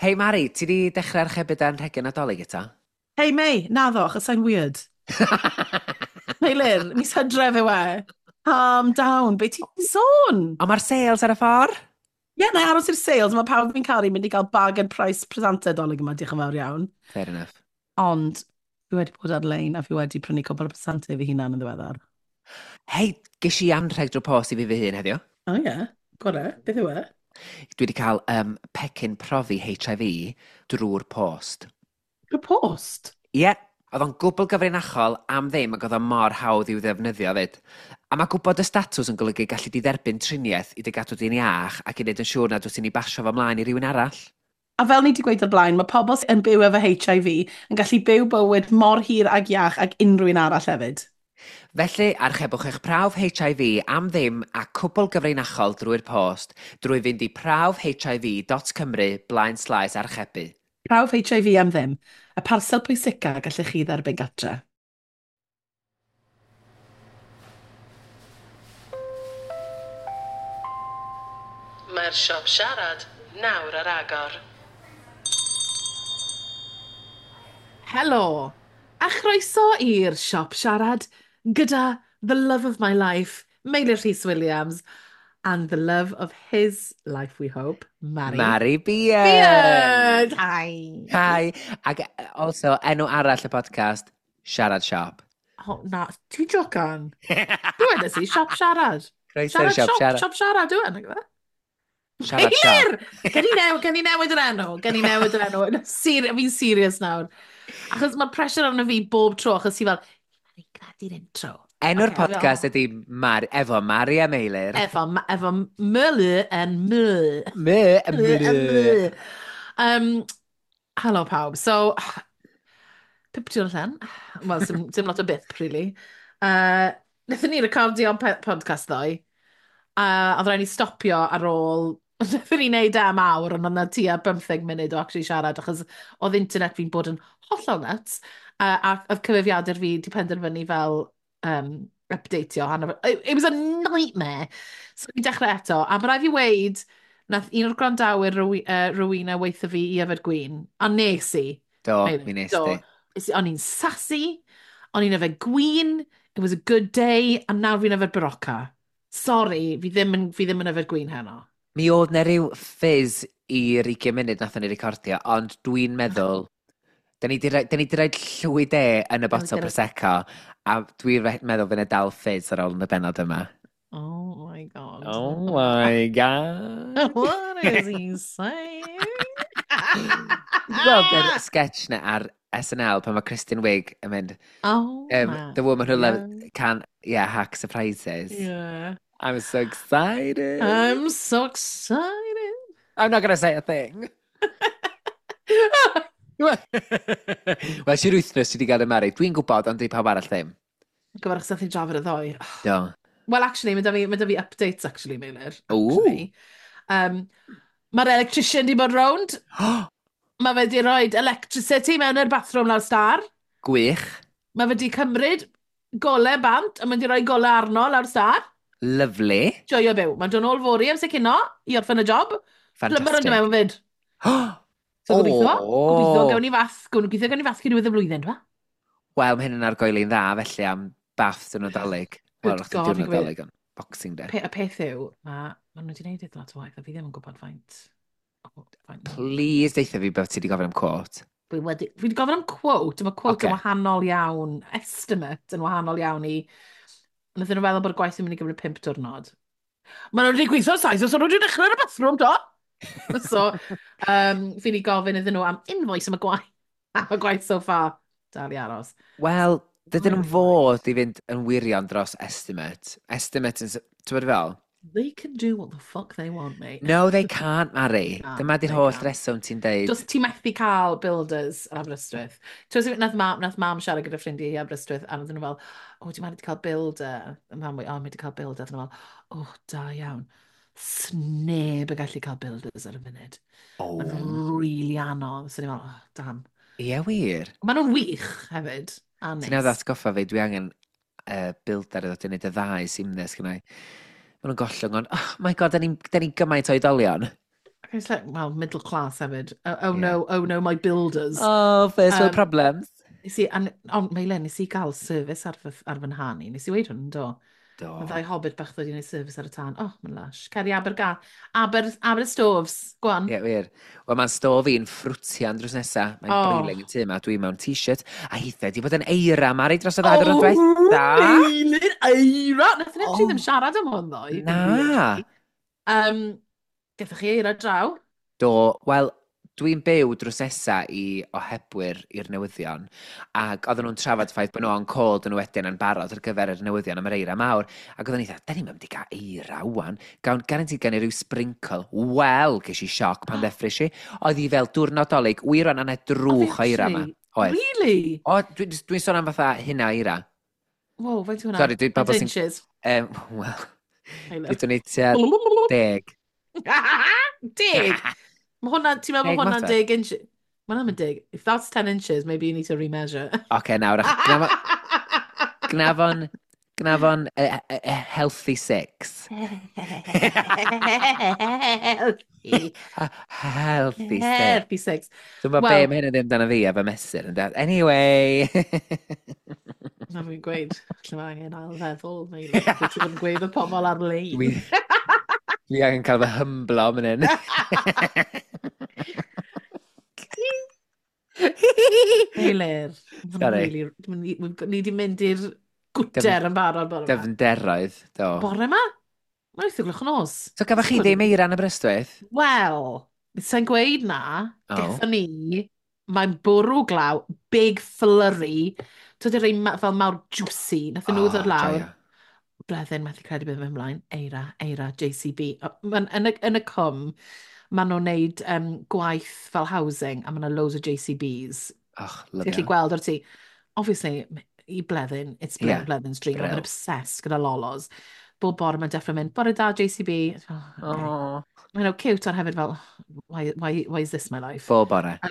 Hei Mari, ti di dechrau archebu dy anrhegion Nadolig eto? Hei Mei, naddo, achos I'm weird. Meilir, mis Hydref yw e. Calm down, be ti'n sôn? Ond mae'r sales ar y ffordd? Ie, yeah, na i aros i'r sales, mae pawb fi'n caru mynd i gael bargain price presentau Dolig yma, diolch yn fawr iawn. Fair enough. Ond fi wedi bod ar-lein a fi wedi prynu cwbl o presentau fi hunan yn ddiweddar. Hei, ges i anrheg drwy post i fi fy hun heddiw. O oh, ie, yeah. Gore, beth yw e? Dwi wedi cael pecyn profi HIV drwy'r post. Drwy'r post? Ie, yeah, oedd o'n gwbl gyfrinachol am ddim ac oedd o mor hawdd i'w ddefnyddio fyd. A mae gwybod y statws yn golygu gallu di dderbyn triniaeth i dy gadw di'n iach ac i wneud yn siŵr nad wyt ti'n ei basio fo mlaen i rywun arall. A fel ni wedi gweud o'r blaen, mae pobl sy'n byw efo HIV yn gallu byw bywyd mor hir ag iach ag unrhyw un arall hefyd. Felly, archebwch eich prawf HIV am ddim a cwbl gyfrinachol drwy'r post drwy fynd i prawfhiv.cymru blaen slaes archebu. Prawf HIV am ddim. Y parsel pwysica gallech chi dderbyn gatre. Mae'r siop siarad nawr ar agor. Helo, a chroeso i'r siop siarad gyda the love of my life, Meilir Rhys Williams, and the love of his life, we hope, Mari. Mari Beard! Beard! Hi! Hi! Ac also, enw arall y podcast, Siarad Siop. Oh, na, ti'n jocan? Dwi'n i, siop siarad. Croeso i'r siop siarad. Siop siarad, dwi'n nag yw e? Siarad Siop. Gen i newid yr enw, gen i newid yr enw. Fi'n serious nawr. Achos mae'r pressure arno fi bob tro, achos ti fel, Mari, gwna di'r intro. Enw'r okay, podcast ydy Mar efo Mari a Meilir. Efo, efo Mylu and My. My and My. Helo pawb. So, pip ti'n allan? Wel, sim lot o bip, really. Nethon ni recordio podcast ddoe. Oedd rhaid ni stopio ar ôl... Nethon ni wneud e am awr, ond oedd 'na tua 15 munud o actually siarad, achos oedd internet fi'n bod yn hollol nuts. Ac oedd cyfrifiadur fi 'di penderfynu fel updateio. It was a nightmare. So ni'n dechrau eto. A mae rhaid fi weud, nath un o'r gwrandawyr Rowena weithio fi i yfed gwin. A nes i. Do, mi nes di. O'n i'n sassy, o'n i'n yfed gwin, it was a good day, a nawr fi'n yfed Berocca. Sorry, fi ddim yn yfed gwin heno. Mi oedd 'na ryw fizz i'r 20 munud nathon ni recordio, ond dwi'n meddwl, da ni 'di rhoi llwy de yn y botol Prosecco, a dwi'n meddwl fydd 'na dal fizz ar ôl yn y bennod yma. Oh my God. Oh my God. What is he saying? Ti'n gweld yr sketch na ar SNL pan mae Kristen Wiig yn mynd, oh my the woman who loved, can, yeah, hack surprises. Yeah. I'm so excited. I'm so excited. I'm not going to say a thing. Wel, si'r wythnos ti wedi gael y Mari. Dwi'n gwybod, ond di pawb arall ddim. Gyfer achos ni'n drafod y ddoe. Do. Well, actually, mae da fi updates, actually, Meilir. Ooh. Mae'r electrician di bod rownd. Mae fe di rhoi electricity mewn i'r bathroom lawr star. Gwych. Mae fe di cymryd golau bant a mae'n di rhoi golau arno lawr star. Lovely. Joio byw. Mae'n dod nôl fory amser cino i orffen y job. Fantastic. Plumber yn dod mewn fyd. So gobeithio, gobeithio gawn ni fath, gobeithio gawn ni fath cyn diwedd y flwyddyn, dwa? Wel, mae hyn yn argoeli'n dda, felly am bath dyn Nadolig. Wel, Good God, diwrnod Nadolig, ond Boxing Day. Y peth yw, mae nhw wedi gwneud eitha lot o waith, a fi ddim yn gwybod faint. Please, deitha fi bod ti wedi gofyn am quote. Fi wedi gofyn am quote, mae quote yn wahanol iawn, estimate yn wahanol iawn i... Wnaethon nhw feddwl bod y gwaith yn mynd i gymryd 5 diwrnod. Maen nhw wedi gweithio 7, so nhw wedi dechrau yn y bathroom, do? So, fi wedi gofyn iddyn nhw am invoice am y gwaith, am y gwaith so far. Dal i aros. Wel, dydyn nhw'n fod i fynd yn wirion dros estimate. Estimate yn... Ti'n bod fel? They can do what the fuck they want, mate. No, they can't, Mari. Dyma di'r holl reswm ti'n deud. Just ti methu cael builders yn Aberystwyth. Ti'n nath mam siarad gyda ffrindiau i Aberystwyth, a oedden nhw fel, o, ti'n wedi cael builder. A mam, o, mae wedi cael builder. Oedden nhw fel, o, da iawn. Sneb yn gallu cael builders ar y funud. Oh. Mae'n really anodd. So ni'n fel, oh, damn. Ie, wir. Maen nhw'n wych hefyd. A nice. Ti'n newydd atgoffa fi, dwi angen builder i ddod i wneud y ddau seamless gynnau. Maen nhw'n gollwng, ond, oh my God, da ni'n gymaint o oedolion. It's like, well, middle class hefyd. Oh, oh Yeah. no, oh no, my builders. Oh, first world problems. Nes i, and, ond Meilen, nes i gael service ar fy nhan i. Nes i weud hwn, do? Do. Mae ddau hobbit bach ddod i wneud service ar y tân. Oh, mae'n lush. Ceri Aber, Aber y stoves. Go on. Ie, yeah, wir. Wel, mae'n stof i'n ffrwtian drws nesa. Mae'n Oh. boiling y tŷ yma. Dwi mewn t-shirt. A hithe, di bod yn eira, Mari, dros y ddau ddwrnod diwetha. Meilen, eira! Nath ni actually Oh. ddim siarad am hwn ddoe. Na. Gaethoch chi eira draw? Do, wel, dwi'n byw drws nesa i ohebwyr i'r newyddion, ac oedden nhw'n trafod ffaith bod nhw on call dyn nhw wedyn yn barod ar gyfer yr newyddion am yr eira mawr, ac oedden ni dda, da ni'n mynd i gael eira wan, gawn guaranteed gan i ryw sprinkle. Wel, ges i sioc pan ddeffres i. Oedd hi fel dwrnod Nadolig, wir o'n anna drwch o eira yma. Oedd. Really? O, dwi'n dwi sôn am fatha hynna eira. Wow, faint yw hwnna? Sorry, dwi pobl Faint sy'n inches? Wel, Meilen. dwi ni tua 10. 10? Mae hwnna, ti'n meddwl 10 bod hwnna'n modfedd? 10 inches? Mae hwnna'n 10. If that's 10 inches, maybe you need to remeasure. Oce, nawr, gnafon a healthy six. Healthy. Healthy six. Healthy six. Dwi'n meddwl be Wel- mae hyn yn ddim dan fi efo mesur. Ynde? Anyway. Na fi'n gweud, lle mae angen ail feddwl, neu like, beth ti'n gweud y pobl ar-lein. Dwi angen cael fy hymblo am hyn. Meilir. Sorry. Really, ni di mynd i'r gwter yn barod bore yma. Dyfnderoedd, do. Bore yma? Mae'n 8 o'r gloch nos. So gafoch chi ddim eira yn Aberystwyth? Wel, sa'n gweud na, Oh. gethon ni, mae'n bwrw glaw, big flurry, Twyd y rei fel mawr juicy, nath nhw Oh, ddod lawr. joio. Bleddyn, methu credu beth mae'n ymlaen. Eira, eira, JCB. O, yn y cwm, maen nhw'n neud gwaith fel housing, a maen nhw loads o JCBs. Och, Ti'n gallu lyfio. gweld o'r tŷ. Obviously, i Bleddyn, it's Bleddyn's dream. Mae'n Brill. obsessed gyda lolos. Bob bore mae'n deffro mynd, "Bore da, JCB." Oh, okay. Oh. Mae'n nhw cute, ond hefyd fel, Why is this my life?" Bob bore. A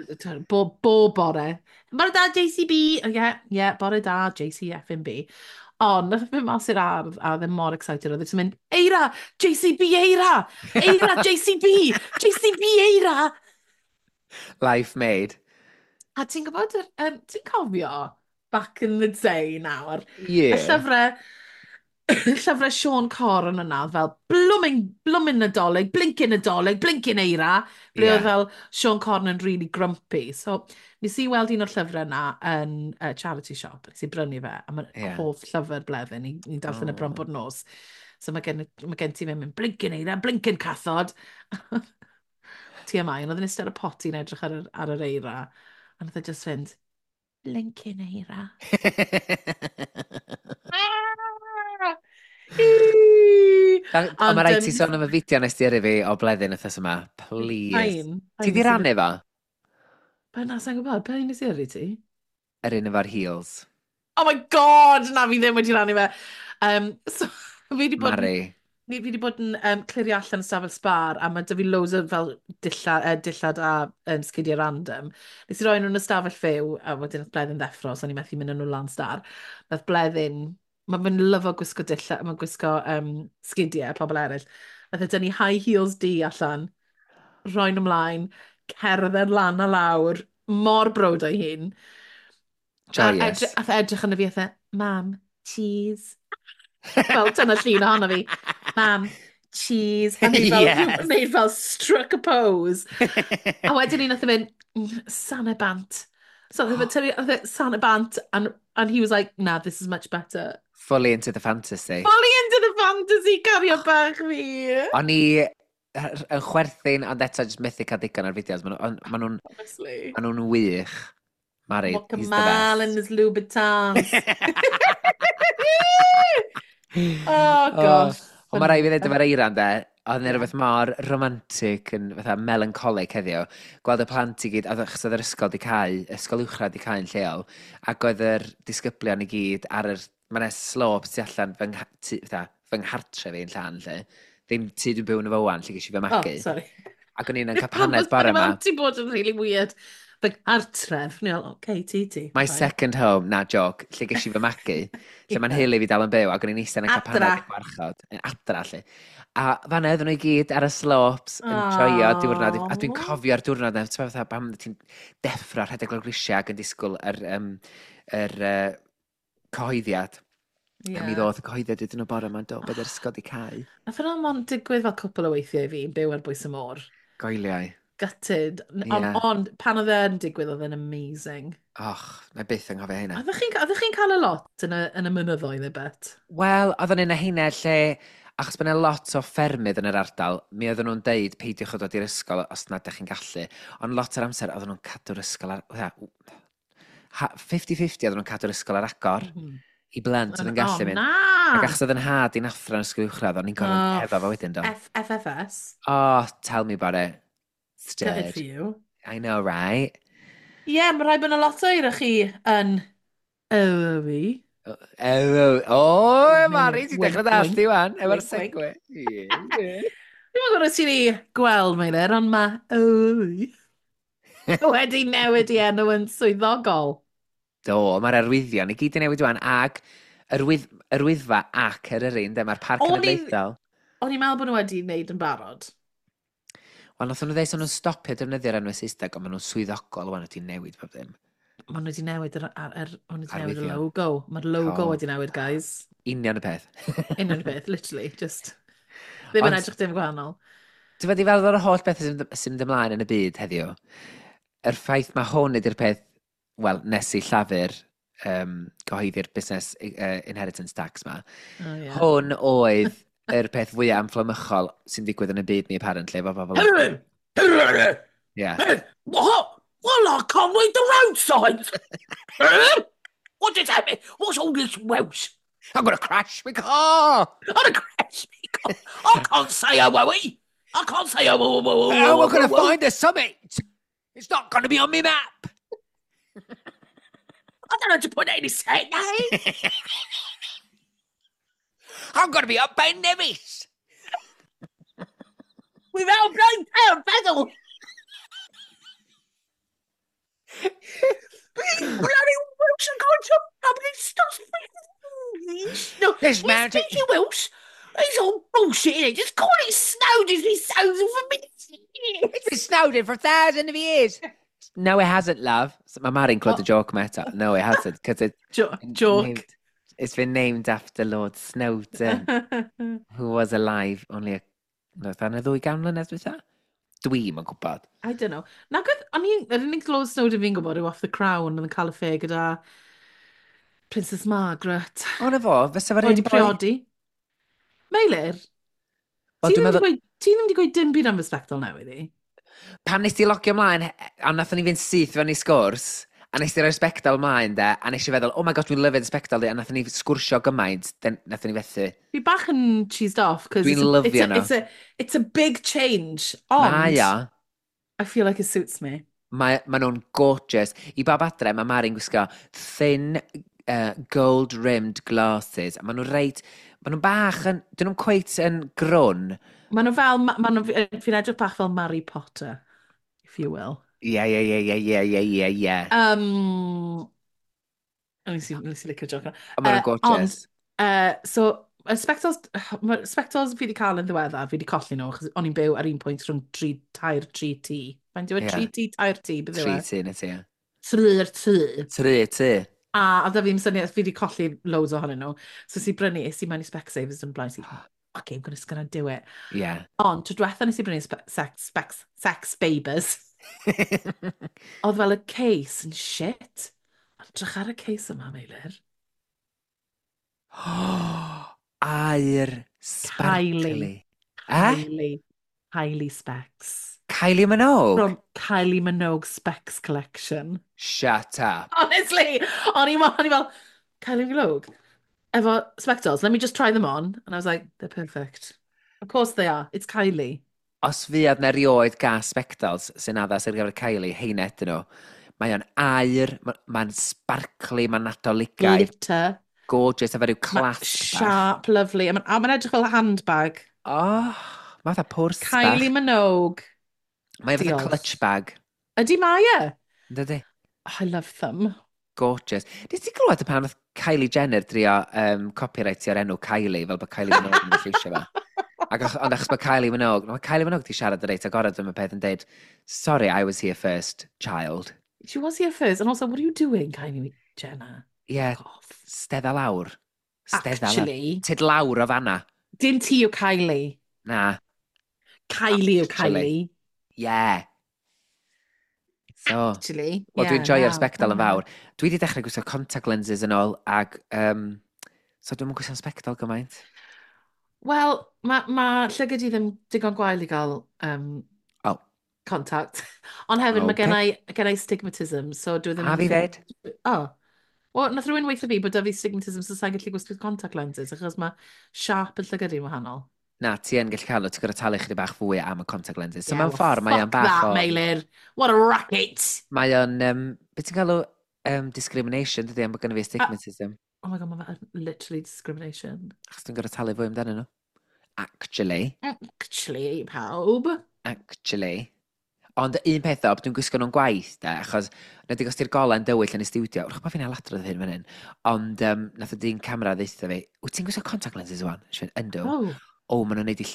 bob bore. "Bore da, JCB." Oh, yeah, bore da, JCFNB. Ond, nath e fynd mas i'r ardd a oedd e mor excited. Oedd e jyst yn mynd, "Eira, JCB, eira! Eira, JCB! JCB, eira!" Life made. A ti'n gwybod, ti'n cofio, back in the day nawr, Yeah. y llyfrau Siôn Corn yna, fel blooming, blooming Nadolig, blinking Nadolig, blinking eira, ble oedd fel Siôn Corn yn really grumpy. So, nes i weld un o'r llyfrau yna yn charity shop, nes i brynu fe, a mae'n hoff llyfr Bleddyn, ni'n darllen y bron bod nos. So mae gen ti fe'n mynd, "Blinking eira, blinking cathod." TMI, ond oedd yn eistedd ar y poti yn edrych ar yr eira, a nath e just fynd, "Blinking eira." Ah! Ond mae rhaid ti sôn am y fideo nes di yrru fi o Bleddyn wythnos yma. Please. Pain. Ti di rannu fo? Pa na, sa'n gwybod, pa un nes i yrru ti? Yr un efo'r heels. Oh my God, na fi ddim wedi rannu fe. So, fi wedi bod, Mari. fi wedi bod yn clirio allan y stafell sbar, a mae 'da fi loads o fel dillad a sgidiau random. Nes i roi nhw'n y stafell fyw, a wedyn nath Bleddyn ddeffro, so o'n i methu mynd â nhw lan star. Nath Bleddyn, mae'n lyfo gwisgo dillad, mae'n gwisgo sgidiau pobl eraill. Nath e dynnu high heels di allan, rhoi nhw ymlaen, cerdded lan a lawr, mor browd o'i hun. A Joyous. ath e edrych arno fi, ath e, "Mam, cheese." Fel dyna llun ohono fi. "Mam, cheese." A neud fel, neud fel struck a pose. A wedyn ni nath e fynd, "Sanne bant." So nath e tynnu, nath e sanne bant, and he was like, "Nah, this is much better." Fully into the fantasy. Fully into the fantasy, cario bach fi. O'n i yn chwerthin, ond eto jyst methu cael digon ar fideos. Ma nhw'n Honestly. ma nhw'n wych. Mari, Walk a he's the mile in best. his Louboutins. Oh, gosh. Ond mae rhaid fi ddweud efo'r eira, ynde, oedd yna rhywbeth mor romantic yn fatha melancholic heddiw. Gweld y plant i gyd, oedd achos oedd yr ysgol di cau, ysgol uwchradd di cau yn lleol, ac oedd yr disgyblion i gyd ar yr, mae yna slope tu allan fatha, fy nghartre fi yn llan, lle. Ddim tŷ dwi'n byw yn y fo wan, lle ges i fy Oh, magu. sorry. Ac o'n i'n cael paned bore yma. Ti'n bod yn really weird. Fy nghartref. Ni fel, okay, ti, ti. My Fine. second home, na joc, lle ges i fy magu, lle mae'n nheulu fi dal yn byw, ac o'n i'n eistedd yn cael paned yn gwarchod, yn adra, lle. A fan'na oedden nhw i gyd ar y slopes, yn joio diwrnod, a dwi'n cofio'r diwrnod na, ti'n fatha, pam ti'n deffro rhedeg lawr grisiau ac yn disgwyl yr cyhoeddiad. Yeah. A mi ddoth y cyhoeddiad iddyn nhw bore ma'n do, bod yr ysgol di cau. A hwnna mond digwydd fel cwpl o weithiau i fi, yn byw ar bwys y môr. Goeliau. Gutted. Ond on, pan oedd e'n digwydd, oedd e'n amazing. Och, na byth yn nghofio hynna. Oeddech chi'n cael y lot yn y mynyddoedd, I bet? Wel, oedd o'n un o heina lle, achos bod yna lot o ffermydd yn yr ardal, mi oedden nhw'n deud peidiwch o dod i'r ysgol os nad ydych chi'n gallu. Ond lot o'r amser oedden nhw'n cadw'r ysgol ar... 50-50 oedden nhw'n cadw'r ysgol ar agor i blant oedd yn gallu mynd. Na! Ac achos oedd yn nhad i'n athro yn ysgol uwchradd, o'n i'n gorfod hefo fo wedyn, do. FFS. Oh, tell me about it. Gutted for you. I know, right? Ie, yeah, mae rhaid bod yna lot o eira chi yn Eryri. O, Mari, ti'n dechrau dallt i wan, efo'r segue. Dwi'n gwybod os ti'n ei gweld, Meilir, ond mae Eryri wedi newid i enw yn swyddogol. Do, mae'r arwyddion i gyd yn newid wan, ac yr Wyddfa ac Eryri, ynde, mae'r parc cenedlaethol. O'n i'n meddwl bod nhw wedi wneud yn barod. Wel, nath nhw ddeud so nhw'n stopio defnyddio'r enw Saesneg, ond maen nhw'n swyddogol wan wedi newid pob ddim. Maen nhw wedi newid yr logo. Mae'r logo wedi newid, guys. Union y peth. Union y peth, literally. Just ddim yn edrych dim gwahanol. Ti'n wedi fel o'r holl beth sy'n mynd ymlaen yn y byd heddiw, yr ffaith mae hwn ydy'r peth, wel, nes i Llafur gyhoeddi'r business inheritance tax ma. Oh, yeah. Hwn oedd yr peth fwyaf amfflamychol sy'n digwydd yn y byd ni, apparently, efo bobl. Yeah. What? Well, I can't read the road signs. What does that mean? What's all this Welsh? I'm gonna crash my car. I'm gonna crash my car. I can't say a wowie. I can't say a wo wo wo. How am I gonna find the summit? It's not gonna be on my map. I don't know how to put that in a sentence. I'm gonna be up by Nevis. Without blowing pound paddle. Bloody Welsh are going to public stop speaking English. No, this man speaking Welsh. It's all bullshit, innit? Just call it Snowdon. It's been Snowdon for minutes. It's been Snowdon for thousands of years. No, it hasn't, love. So mae Mari'n clywed y joke ma eto. No, it hasn't. Because it's joke. Named, it's been named after Lord Snowdon, who was alive only a... No, dan y 200 mlynedd dwytha? Dwi'm yn gwybod. I don't know. Nag oedd, o'n i'n, yr unig Lord Snowdon fi'n gwybod yw off the Crown oedd yn cael y affair gyda Princess Margaret. O, na fo, fysa fo'r un Wedi priodi. Meilir, ti ddim wedi gweud dim byd am fy sbectol newydd i? Pam nes ti logio ymlaen, a nathon ni fynd syth fewn i sgwrs, a nes ti roi'r sbectol ymlaen, de, a nes i feddwl, oh my god, dwi'n lyfio'r sbectol di, a nathon ni sgwrsio gymaint, nathon ni fethu. Fi bach yn cheesed off, cos dwi'n lyfio nhw. It's a big change, ond Mae o. I feel like it suits me. Mae nhw'n gorgeous. I bawb adre, mae Mari'n gwisgo thin gold-rimmed glasses, a maen nhw'n reit, maen nhw'n bach yn, dyn nhw'n cweit yn grwn. Maen nhw fel, fi'n edrych bach fel Mary Potter, if you will. Ie. Nes i licio joke yna. Ond maen nhw'n gorgeous. Ond, so, y spectols fi wedi cael yn ddiweddar, fi wedi colli nhw, achos o'n i'n byw ar un pwynt rhwng 3, 3, 3 T. Faint yw e? 3 T, 3 T, beth yw e? 3 T, na ti, ie. 3 T. 3 T. A oedd fi'n syniad, fi wedi colli loads ohonyn nhw. So, nes i brynu, es i mewn i Specsavers yn blaen, okay, I'm just gonna do it. Yeah. Ond, tro diwetha nes i brynu sex babers. Oedd fel y case yn shit. Ond drych ar y case yma, Meilir. Aur sparkly. Kylie. Kylie Specs. Kylie Minogue? From Kylie Minogue Specs Collection. Shut up. Honestly, o'n i fel, Kylie Minogue, efo spectols, let me just try them on. And I was like, they're perfect. Of course they are. It's Kylie. Os fuodd na rioed gas spectols sy'n addas ar gyfer Kylie, heina ydyn nhw. Mae o'n aur, mae'n sparkly, mae'n nadoligaidd. Glitter. Gorgeous, efo rhyw clasp bach. Sharp, lovely. A mae'n edrych fel handbag. Oh, mae fatha pwrs bach. Kylie Minogue. Mae fatha clutch bag. Ydy mae e. Dydy? I love them. Gorgeous. Nes ti glywed y pan oedd Kylie Jenner drio copyrightio'r enw Kylie, fel bod Kylie Minogue yn gallu iwsio fe? Ond achos bod Kylie Minogue, mae Kylie Minogue di siarad yn reit agored am y peth yn deud, "Sorry, I was here first, child." She was here first, and also, what are you doing, Kylie Jenner? Yeah, Fuck off. Stedda lawr. Stedda lawr. Actually, Tyd lawr o fanna. Dim ti yw Kylie. Na. Kylie yw Actually. Kylie. Yeah. So, Actually. Wel, yeah, dwi'n joio'r wow, sbectol yn yeah. fawr. Dwi wedi dechrau gwisgo contact lenses yn ôl, ag so dwi'n gwisgo'n sbectol gymaint. Wel, mae ma llygad i ddim digon gwael i gael Oh. contact. Ond hefyd, mae gen i stigmatism, so dwi ddim A fi fed. Oh. Wel, nath rhywun weithio fi bod 'da fi stigmatism, so sa'n gallu gwisgo contact lenses, achos mae siâp y llygad i'n wahanol. Na, ti yn gallu cael nhw, ti'n gorfod talu chydig bach fwy am y contact lenses. So Yeah, mewn well, ffordd, mae o'n fuck bach that, o Meilir. What a racket! Mae o'n, beth ti'n galw discrimination, dydy, am bod gynno fi astigmatism. Oh my God, mae fe literally discrimination. Achos dwi'n gorfod talu fwy amdanyn nhw. Actually. Actually, pawb. Actually. Ond un peth o, dwi'n gwisgo nhw'n gwaith, da, achos na di os di'r golau'n dywyll yn y stiwdio, wrach bod fi'n ailadrodd hyn fan hyn, ond nath y dyn camera ddeutha fi, "Wyt ti'n gwisgo contact lenses wan?" Nes i fynd, "Yndw." Oh. "O, maen nhw'n neud i,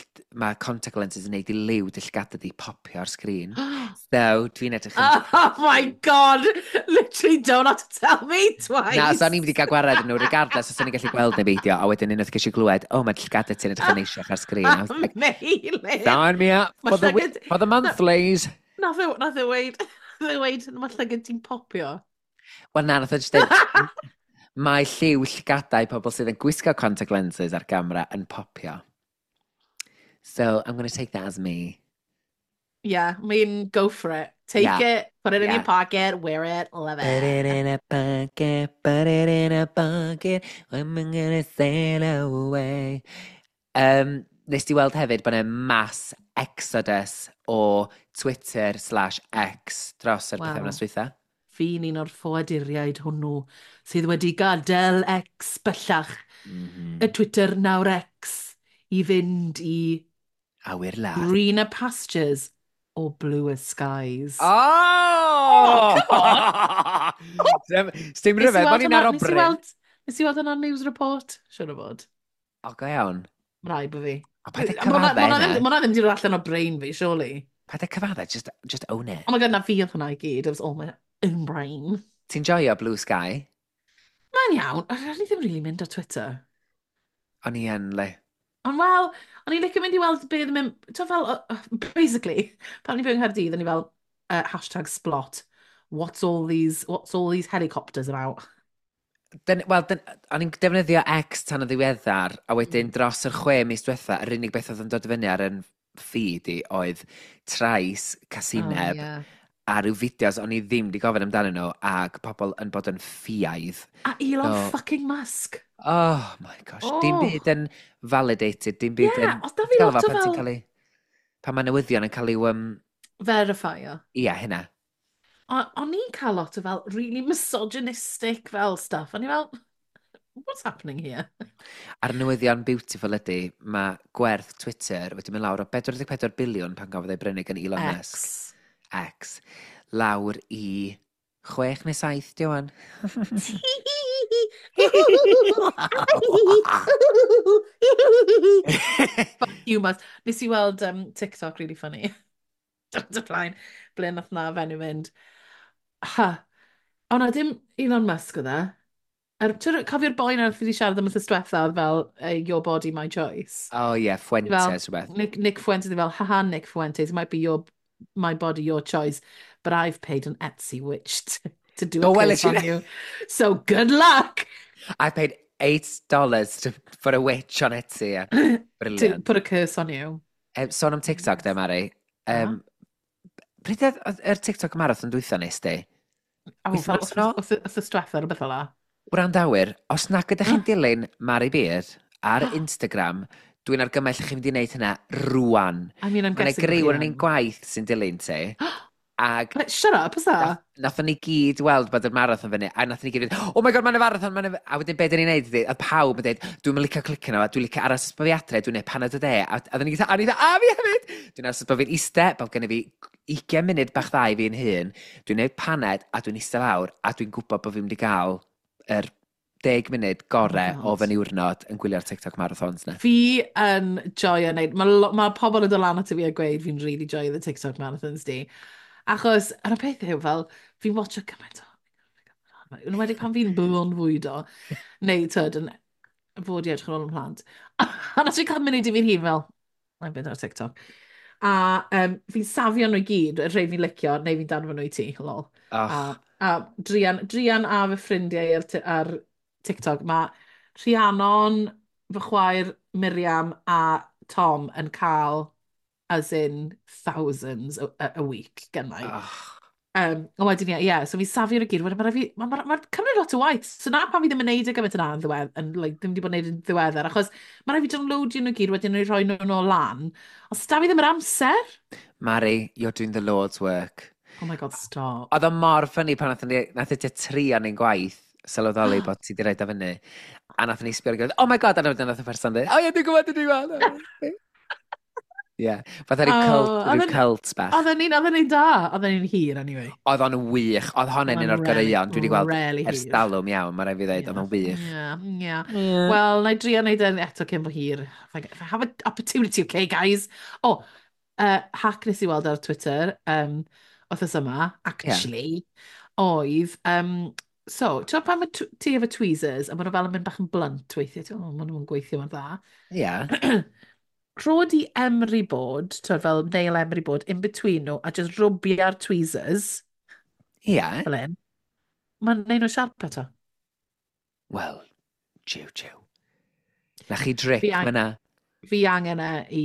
mae contact lenses yn neud i liw dy llgada di popio ar sgrin." So, dwi'n edrych yn Oh my God! Literally don't have to tell me twice! Na, so o'n i'n mynd i gael gwared yn nhw, regardless os o'n i'n gallu gweld neu beidio, a wedyn unwaith ges i glywed, "O, mae llgada ti'n edrych yn neisiach ar sgrin." I was like, Meilir! "Sign me up Ma' for the monthlies." Nath e weid, mae llygad ti'n popio. Wel na, nath o jyst deud, mae lliw llgadau pobl sydd yn gwisgo contact lenses ar gamera yn popio. So, I'm going to take that as me. Yeah, I mean, go for it. Take it, put it in your pocket, wear it, love Put it. it in a pocket, put it in a pocket, I'm gonna sail away. Nes ti weld hefyd bod yna mass exodus o Twitter/X dros yr Wel. pythefnos dwytha? Fi'n un o'r ffoaduriaid hwnnw sydd wedi gadael X bellach, y Twitter nawr X, i fynd i Awyr las. Greener pastures or bluer skies. Oh! Oh, Dim dim Nes i rhyfedd, weld bod ni'n hwnna- ar nes i obryn. Nes i weld hwnna'n news report? Siwr o fod. O, go iawn. Mae rhaid bod fi. O, paid â Ma' hwnna- cyfadde ma' hwnna hynna. Ma' hwnna ddim wedi dod allan o brain fi, surely. Paid â cyfadde, just own it. Oh my God, na fi oedd hwnna i gyd. It was all my own brain. Ti'n joio Blue Sky? Mae'n iawn. O'n i ddim really mynd ar Twitter. O'n i yn, le. Ond wel, o'n i'n licio mynd i weld beth yn mynd. Ti'n fel, basically, pan o'n i'n byw yng Nghaerdydd, o'n i fel, #splot. What's all these helicopters about? Wel, o'n i'n defnyddio X tan y ddiweddar, a wedyn dros yr 6 mis diwetha, yr unig beth oedd yn dod i fyny ar yn feed i oedd trais, casineb, Oh, yeah. a rhyw fideos o'n i ddim wedi gofyn amdanyn nhw, ac pobl yn bod yn ffiaidd. A Elon So- fucking Musk. Oh my gosh, dim Oh. byd yn validated, dim byd Yeah, yn os da fi Ti'n galw lot fo o pan ti'n fel cael ei, pan mae newyddion yn cael ei Verifio. Ia, hynna. O'n i'n cael lot o fel really misogynistic fel stuff. O'n i fel, "What's happening here?" A'r newyddion beautiful ydy, mae gwerth Twitter wedi mynd lawr o 44 biliwn pan gafodd ei brynu gan Elon Musk. X. X. Lawr i 6 neu 7, di wan. Fuck you, Musk. Nes i weld TikTok really funny. Dod y blaen, ble nath na fenyw mynd. Ha. O na, dim Elon Musk oedd e. Ti'n cofio'r boi na wrth i siarad am wythnos diwetha oedd fel, "Your body, my choice"? Oh ie, yeah, Fuentes, rhywbeth. Nick Fuentes, fel, "Haha, Nick Fuentes, it might be your, my body, your choice, but I've paid an Etsy witch to do a Oh, well, curse on you. So good luck I paid $8 for a witch on Etsy. Yeah. to Brilliant. put a curse on you." Sôn am TikTok, de, Mari. Pryd oedd yr TikTok marathon dwytha nes di? Oh, fel Wythnos yn ôl? wythnos diwetha, rhywbeth fel la. Wrandawyr, os nag ydych chi'n dilyn Mari Beard ar Instagram, dwi'n argymell i chi mynd i wneud hynna rwan. I mean, I'm Mae yna guessing griw chi yn ein yn. gwaith sy'n dilyn ti. Ag Right, shut up, is that? Nathon ni gyd weld bod y marathon fyny, a nathon ni gyd fynd, "Oh my God, mae'n y marathon, mae'n y..." A wedyn be dyn ni'n neud ydi, oedd pawb yn dweud, "Dwi'n licio clicio na, dwi'n licio aros bod fi adre, dwi'n neud paned o de." A oedden ni gyd, a ni a fi hefyd! Dwi'n aros bod fi'n iste, bod gen i fi 20 munud bach dda i fi'n hun, dwi'n neud paned, a dwi'n iste lawr, a dwi'n gwybod bod fi'n mynd i gael yr 10 munud gore Oh o fy niwrnod yn gwylio'r TikTok marathons na. Fi yn joio neud, mae pobl yn dod lan ato fi a gweud fi'n really joio the TikTok marathons di. Achos, ar y peth yw fel, fi'n watcho gymaint o... Yn enwedig pan fi'n bron fwydo, neu tyd, yn fod i edrych ar ôl yn plant. A nes fi'n cael munud i fi'n hun fel, "Mae'n fynd ar TikTok." A fi'n safio nhw i gyd, y rhai fi'n licio, neu fi'n danfon nhw i ti, lol. Och, A druan a fy ffrindiau ar TikTok, mae Rhiannon, fy chwaer Miriam a Tom yn cael, as in, thousands a week gennau. Och. A wedyn, ie, yeah, so fi'n safio nhw gyd. Wedyn, mae'n ma cymryd lot o waith. So na pan fi ddim yn neud e gymaint yna yn ddiwedd, yn, like, ddim wedi bod yn neud yn ddiweddar, achos mae rhaid fi downloadio nhw gyd, wedyn nhw'n rhoi nhw nôl lan. Ond da fi ddim yr amser. Mari, you're doing the Lord's work. Oh my God, stop. Oedd o mor funny pan nath ni tua tri o'n ein gwaith sylweddoli bod ti wedi rhoid o fyny. A nath ni sbio ar gilydd, "Oh my God," a wedyn nath y person dweud, "Oh ie, dwi'n gwybod, dwi'n gwybod." Ie, fatha rhyw Oh, cult, rhyw cult bach. Oedden ni'n da. Oedden ni'n hir, anyway. Oedd o'n wych. Oedd honna'n un o'r goreuon dwi wedi gweld really ers hir. dalwm iawn, mae'n rhaid fi ddweud, oedd o'n wych. Yeah. Wel, na i drio wneud e'n eto cyn bo hir. If I have an opportunity, okay, guys? Oh, hack nes i weld ar Twitter, wythnos yma, actually, oedd, so, ti'n pan mae ti efo tweezers, a maen nhw fel yn mynd bach yn blunt weithiau, ti'n meddwl, maen nhw'n gweithio mor dda. Rho di emery board, ti'n fel nail emery board, in between nhw, a just rwbio'r tweezers, fel un. Mae'n neud nhw siarp eto. Wel, jiw, jiw. Na chi dric fyna. Fi angen e i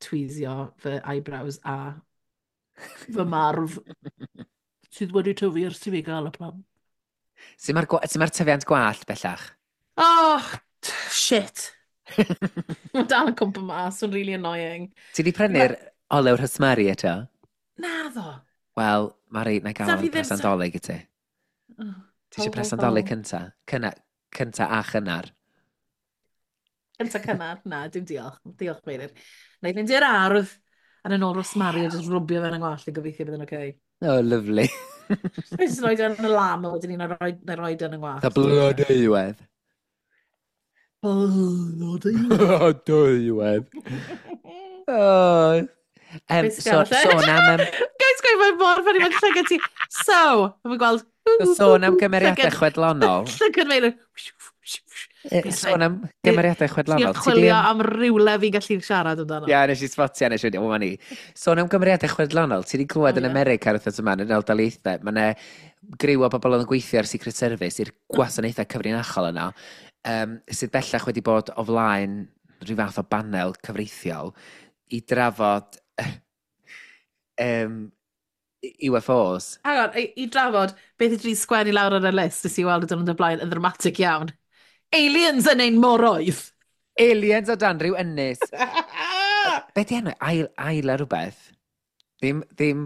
tweezio fy eyebrows a fy marf sydd wedi tyfu ers i fi gael y plant. Sut mae'r sut tyfiant gwallt bellach? Oh, shit. Mae dal yn cwmpa mas, mae'n really annoying. Ti wedi prynu'r olew rhosmari eto? Naddo. Wel, Mari, na i gael Sa fi o'n ddim- presant Dolig i ti. Oh, Ti eisiau presant Dolig cynta? Cynta a chynnar. Cynta cynnar? Na, dim diolch. Diolch, Meilir. Na i fynd i'r ardd a yn ôl rosmari a just rwbio fe yn y ngwallt i gobeithio bydd yn oce. Oh, lovely. Dwi'n just rhoi yn y lam a wedyn ni'n rhoi rhoi yn y ngwallt. The blodeuwedd. Blodeuwedd. Blodeuwedd. Oh. Beth So, sy'n sôn am... Guys, gweud, mae'n mor funny, mae'n llygad ti. So, mae'n gweld... Sôn am gymeriadau chwedlonol. Llygad Meilir. Sôn am gymeriadau chwedlonol. Ti'n chwilio am rywle fi'n gallu siarad amdano. Ie, nes i spotio, nes i wedi, o, ma ni. Sôn am gymeriadau chwedlonol, ti wedi clywed O, yn ie. America ar wythnos yma, yn Unol Daleithiau, mae yna griw o bobl oedd yn gweithio ar Secret Service i'r gwasanaethau cyfrinachol yna, sydd bellach wedi bod o flaen rhyw fath o banel cyfreithiol i drafod UFOs. Hang on, i drafod beth ydw i'n sgwennu lawr ar y list, nes i weld y diwrnod o blaen yn ddramatic iawn. Aliens yn ein moroedd. Aliens o dan rhyw ynys. Be di enw? Ail a rhywbeth? Ddim,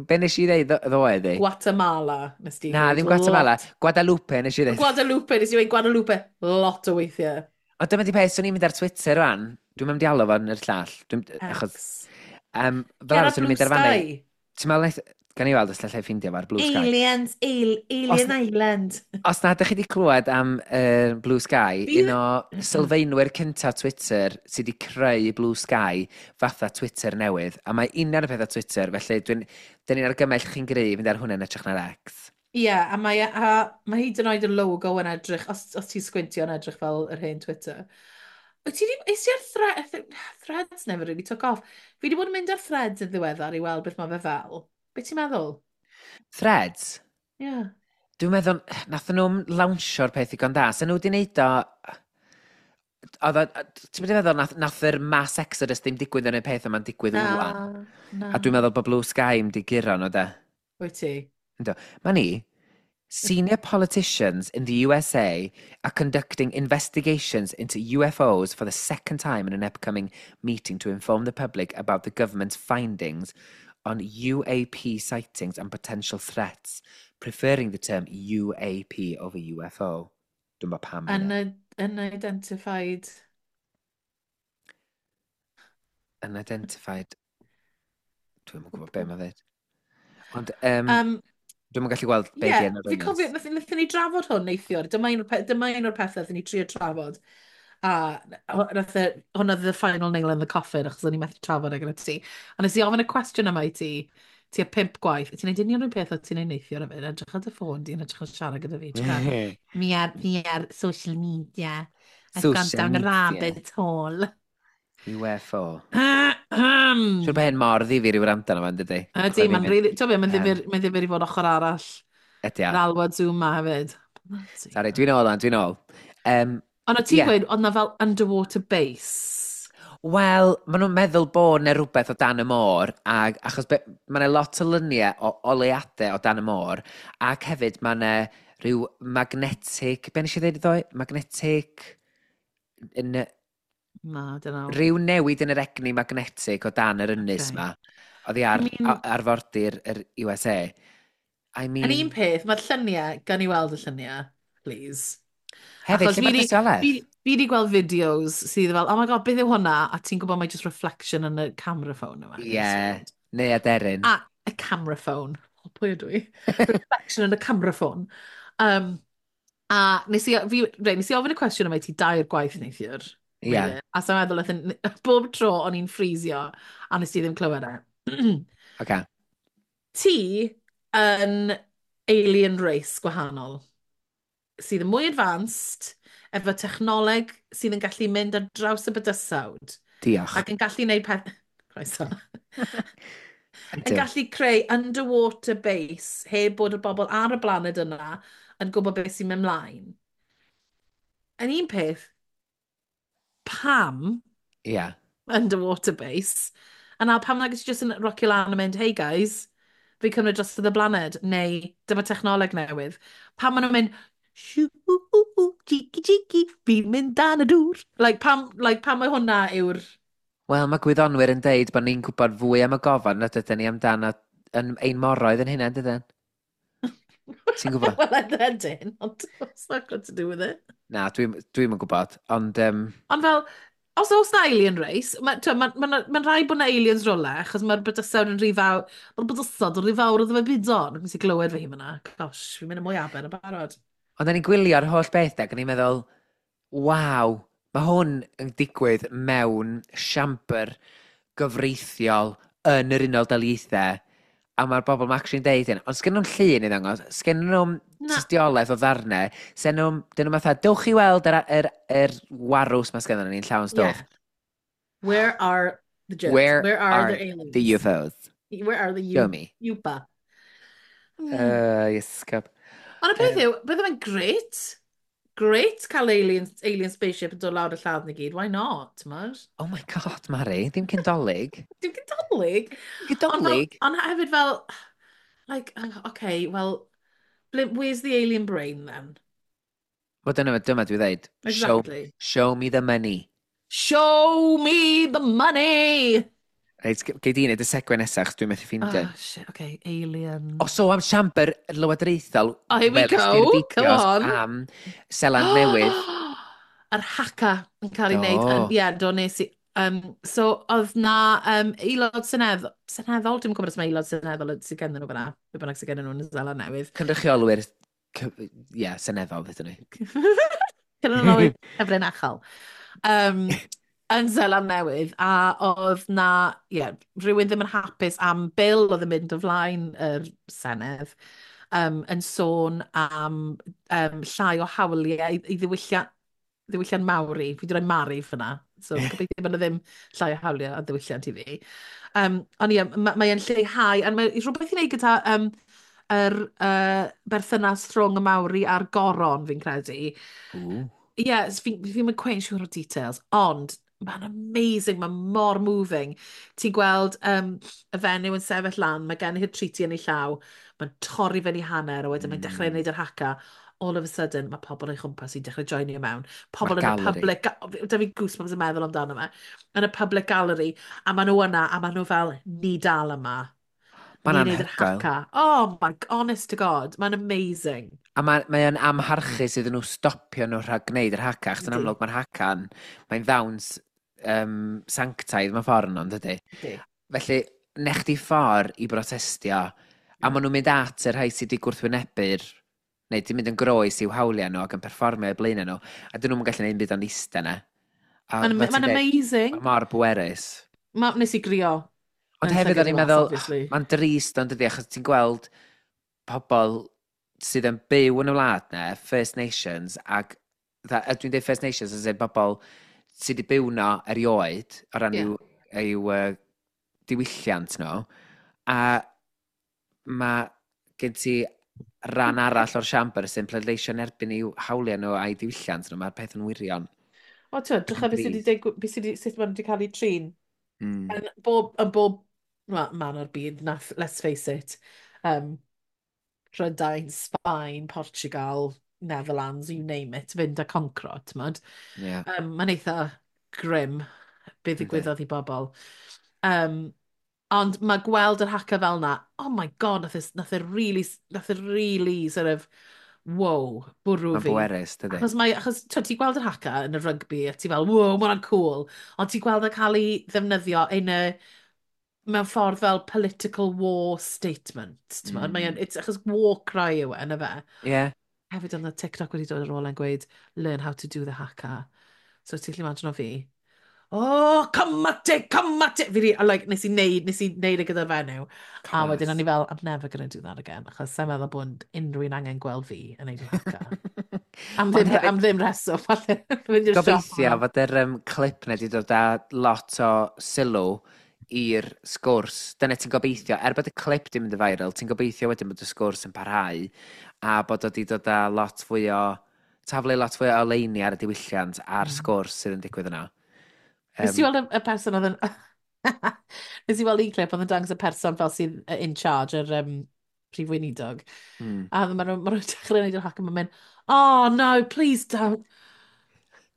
be nes i ddeud ddoe ddi? Guatemala, nes di Na, gweud ddim Guatemala. lot. Guadalupe nes i ddeud. Guadalupe, nes i weud Guadalupe lot o weithiau. Ond dyma di peth, swn i'n mynd ar Twitter rwan. Dwi'n mynd i alw fo'n yr llall. Dwi'n, achos, X. fel Cer arfer, ar swn i'n Blue mynd ar fannu. Sky. Ti'n meddwl, gan i weld os allai ffeindio fo ar Blue Sky. Aliens, Alien Island. Os na ydych chi wedi clywed am Blue Sky, un o sylfaenwyr cynta Twitter sydd wedi creu Blue Sky fatha Twitter newydd. A mae un ar y pethau Twitter, felly dyn ni'n argymell chi'n greu fynd ar hwnna yn hytrach na'r X. Ie, yeah, a mae hyd yn oed y logo yn edrych, os ti'n sgwintio yn edrych fel yr hen Twitter. Wyt ti di, es ti ar Threads never really took off. Fi wedi bod yn mynd ar Threads yn ddiweddar i weld beth mae fe fel. Be ti'n meddwl? Threads? Ie. Yeah. Dwi'n meddwl, nath nhw'n lawnsio'r peth i da. So nhw wedi neud o... Oedd ti'n mynd i feddwl, nath yr mass exodus ddim digwydd yn y peth yma'n digwydd Na, ŵan. na. A dwi'n meddwl bod Blue Sky yn di guro nhw, de. Wyt ti? Ynddo. Mae ni, senior politicians in the USA are conducting investigations into UFOs for the second time in an upcoming meeting to inform the public about the government's findings on UAP sightings and potential threats, preferring the term UAP over UFO. Dwi'n bod pam hynna. Unidentified. Unidentified. Dwi'n yn gwybod be mae'n dweud. Ond, dwi'n yn gallu gweld be Ie, di enw'r fi'n ynys. Cofio, nathon ni drafod hwn neithiwr. Dyma un o'r pethau nathon ni trio trafod. A hwnna the final nail in the coffin, achos o'n i'n methu trafod e gyda ti. A nes i ofyn y cwestiwn yma i ti, tua pump gwaith. Ti'n neud union rhywun peth o ti'n neud neithiwr hefyd. Edrych ar dy ffôn di yn edrych ar siarad gyda fi. Ti'n cael, Mi ar social media. I've gone Social down a media. rabbit hole. UFO. Siwr bod hyn mor ddifyr i wrando arno fo, yn dydi? Ydy, mae'n really. Ti'n mae'n ddifyr i fod ochr arall. Ydy, Yr alwad Zoom ma hefyd. Sorry, dwi'n ôl an, dwi'n ôl. Ond o ti'n Ie. gweud, oedd na fel underwater base. Wel, maen nhw'n meddwl bod 'na rhywbeth o dan y môr, ag, achos mae 'na lot o luniau o oleuadau o dan y môr, ac hefyd mae 'na rhyw magnetic, be nes i ddweud ddoe? Magnetic, yn, Na, dyna. rhyw newid yn yr egni magnetic o dan yr ynys ma. Oddi ar I mean- arfordir yr USA. I mean, Yn un peth, mae'r lluniau, gan i weld y lluniau, please. Hefyd, Achos lle mae'r dystiolaeth? Fi di gweld fideos sydd fel, "Oh my God, beth yw hwnna?" A ti'n gwybod mae just reflection yn y camera phone yma. Ie, neu aderyn. A, y camera phone. O, pwy ydw i? Reflection yn y camera phone. A nes i, fi, reit, nes i ofyn y cwestiwn yma i ti dair gwaith neithiwr. Really. A sa'n meddwl, bob tro o'n i'n ffrisio, a nes i ddim clywed e. Ti yn alien race gwahanol, sydd yn mwy advanced, efo technoleg sydd yn gallu mynd ar draws y bydysawd. Diolch. Ac yn gallu gwneud peth. Croeso. Yn Ydw. gallu creu underwater base heb bod y bobl ar y blaned yna yn gwybod beth sy'n mynd mlaen. Yn un peth, pam underwater base? A na pam nag ti just yn rocio lan a mynd, "Hey guys, fi cymryd dros y blaned," neu "Dyma technoleg newydd." Pam maen nhw'n mynd, "Shoo, cheeky cheeky, fi'n mynd dan y dŵr"? Like, pam mae hwnna yw'r. Wel, mae gwyddonwyr yn deud bod ni'n gwybod fwy am y gofod na dydyn ni amdano yn ein moroedd yn hynna, dydyn? Ti'n gwybod? Wel, ydyn, ond what's that got to do with it? Na, dwi'n dwi yn gwybod, ond Ond fel, os oes na alien race, mae'n ma rhaid bod na aliens rwle, achos mae'r bydysawd yn rhy fawr, mae'r bydysawd yn rhy fawr iddo fe bwydo. Nes i glywed fy hun yna. Gosh, fi'n mynd yn mwy aber yn barod. Ond o'n i'n gwylio'r holl beth ac o'n i'n meddwl, "Waw, mae hwn yn digwydd mewn siambr gyfreithiol yn yr Unol Daleithiau," a mae'r bobl ma actually'n deud hyn. Ond sgyn nhw'n llun i ddangos, sgyn nhw'n Na. tystiolaeth o ddarnau, sgyn nhw'n, dyn nhw'n fatha, "Dewch i weld yr warws ma sgynnon ni'n llawn stwff." Yeah. Where are the germs? Where Where are are the aliens? the UFOs? Where are the Show U me. UPA? Yes, Gab. Ond y peth yw, bydde fe'n great. Great cael alien spaceship yn dod lawr y lladd ni gyd. Why not, t'mod? Oh my God, Mari, ddim cyn Dolig. Dim cyn Dolig. Cyn Ond fel, Dolig? ond hefyd fel, like, okay, well, where's the alien brain then? Wel, dyma dwi dweud. Show, show me the money. Show me the money! Reit, gei di wneud y segue nesaf, achos dwi'n methu ffeindio. Oh, shit, okay, alien. O, so am siambr lywodraethol, Oh, here we welest ti'r go. Come fideos on. am Seland Newydd. Yr haka yn cael ei wneud. Do. Ie, yeah, do nes i. So, oedd na aelod seneddol, dwi'n gwybod os mae aelod seneddol sydd gennym nhw fyna, be bynnag sydd gennym nhw yn y Seland Newydd. Cynrychiolwyr, ie, yeah, seneddol, ddydyn ni. Cynrychiolwyr cyfrinachol. Yn Seland Newydd, a oedd na, ie, yeah, rhywun ddim yn hapus am bil oedd yn mynd o flaen yr Senedd, yn sôn am llai o hawliau i ddiwylliant Maori. Fi wedi rhoi Mari fyna, so gobeithio bod yna ddim llai o hawliau a ddiwylliant i fi. Ond ie, mae e'n lleihau, a mae rhywbeth i wneud gyda yr berthynas rhwng y Maori a'r Goron, fi'n credu. Ww. Ie, yeah, fi ddim yn cweit siŵr o details, ond mae'n amazing, mae'n mor moving. Ti'n gweld y fenyw yn sefyll lan, mae gen hi'r treaty yn ei llaw, mae'n torri fe'n ei hanner, a wedyn mae'n dechrau gwneud yr haka. All of a sudden, mae pobl o'i chwmpas i'n dechrau joinio mewn. Pobl Mae'r yn y gallery. public, da fi goosebumps yn meddwl amdano fe, yn y public gallery, a maen nhw yna, a maen nhw fel, "Ni dal yma." Mae'n Ni'n neud yr anhygoel. haka. Oh my, honest to God, mae'n amazing. A mae o'n amharchus iddyn nhw stopio nhw rhag gwneud yr haka, achos yn Yndi. amlwg mae'r haka'n, mae'n ddawns sanctaidd mewn ffordd nhw'n dydy. Yndi. Felly, nech di ffordd i brotestio, a maen nhw'n mynd at y rhai sydd wedi gwrthwynebu'r, neu di mynd yn groes i'w hawliau nhw ac yn perfformio eu blaenau nhw, a dyn nhw'n gallu gwneud un byd ond ista na. A Mae'n fel ma ti'n deud, amazing. ma' mor bwerus. Nes i grio. Ond Yn hefyd llygad o'n i'n las, meddwl, obviously. mae'n drist ond dydy, achos ti'n gweld pobl sydd yn byw yn y wlad na, First Nations, ac a dwi'n dweud First Nations as in bobl sydd wedi byw no erioed, o ran i'w diwylliant nhw, a mae gen ti ran arall o'r siambr sy'n pleidleisio yn erbyn i'w hawliau nhw a'i diwylliant nhw, mae'r peth yn wirion. O, ti'n drycha beth sydd wedi Drist. digwydd, beth sydd wedi, sut maen nhw wedi cael eu trin. Yn bob well, man o'r byd, nath, let's face it, Prydain, Sbaen, Portugal, Netherlands, you name it, fynd a concro, t'mod. Mae'n eitha grim beth ddigwyddodd i bobl. Ond mae gweld yr haka fel na, oh my God, nath e really sort of, wow, bwrw Mae'n fi. bwerus, dydy. Achos t'wod, ti'n gweld yr haka yn y rygbi, a ti fel, wow, mae hwnna'n cool. Ond ti'n gweld e cael ei ddefnyddio mewn ffordd fel political war statement. Mm. It's, achos war cry yw e, yna fe. Hefyd oedd TikTok wedi dod ar ôl yn gweud, "Learn how to do the haka." So ti'n gallu imagine o fi, "Oh, come at it, come at it." Fi di, like, nes i neud e gyda'r fenyw. A wedyn o'n i fel, "I'm never gonna do that again." Achos sa'n meddwl bod unrhyw un angen gweld fi yn neud y haka. Am Ond ddim, hefyd, am ddim reswm, falle. Fynd i'r siop gobeithio yma. fod yr clip na wedi dod â lot o sylw i'r sgwrs. Dyna ti'n gobeithio, er bod y clip di mynd yn viral, ti'n gobeithio wedyn bod y sgwrs yn parhau a bod o wedi dod â lot fwy o, taflu lot fwy o oleuni ar y diwylliant a'r sgwrs sydd yn digwydd yna. Nes i weld y person oedd yn... Nes i weld un clip oedd yn dangos y person fel sydd in charge, yr prif weinidog. A maen nhw dechrau gwneud yr haka, mae'n mynd, "Oh no, please don't.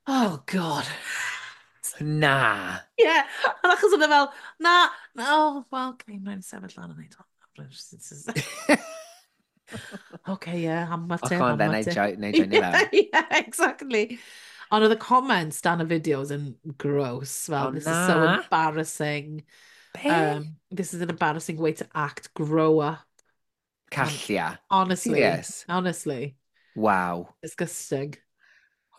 Oh God." Na! Yeah, ond achos oedd e fel, na, na, oh, well, okay, mae'n sefyll lan yn neud hwn. Okay, yeah, I'm Oh, at it, come on I'm then, at it. na i joinio fewn. Yeah, exactly. Ond oedd y comments dan y videos yn gross. Fel, O, "This is so na. embarrassing." Be? "This is an embarrassing way to act. Grow up." Callia. Honestly. Serious? Honestly. Waw. Disgusting.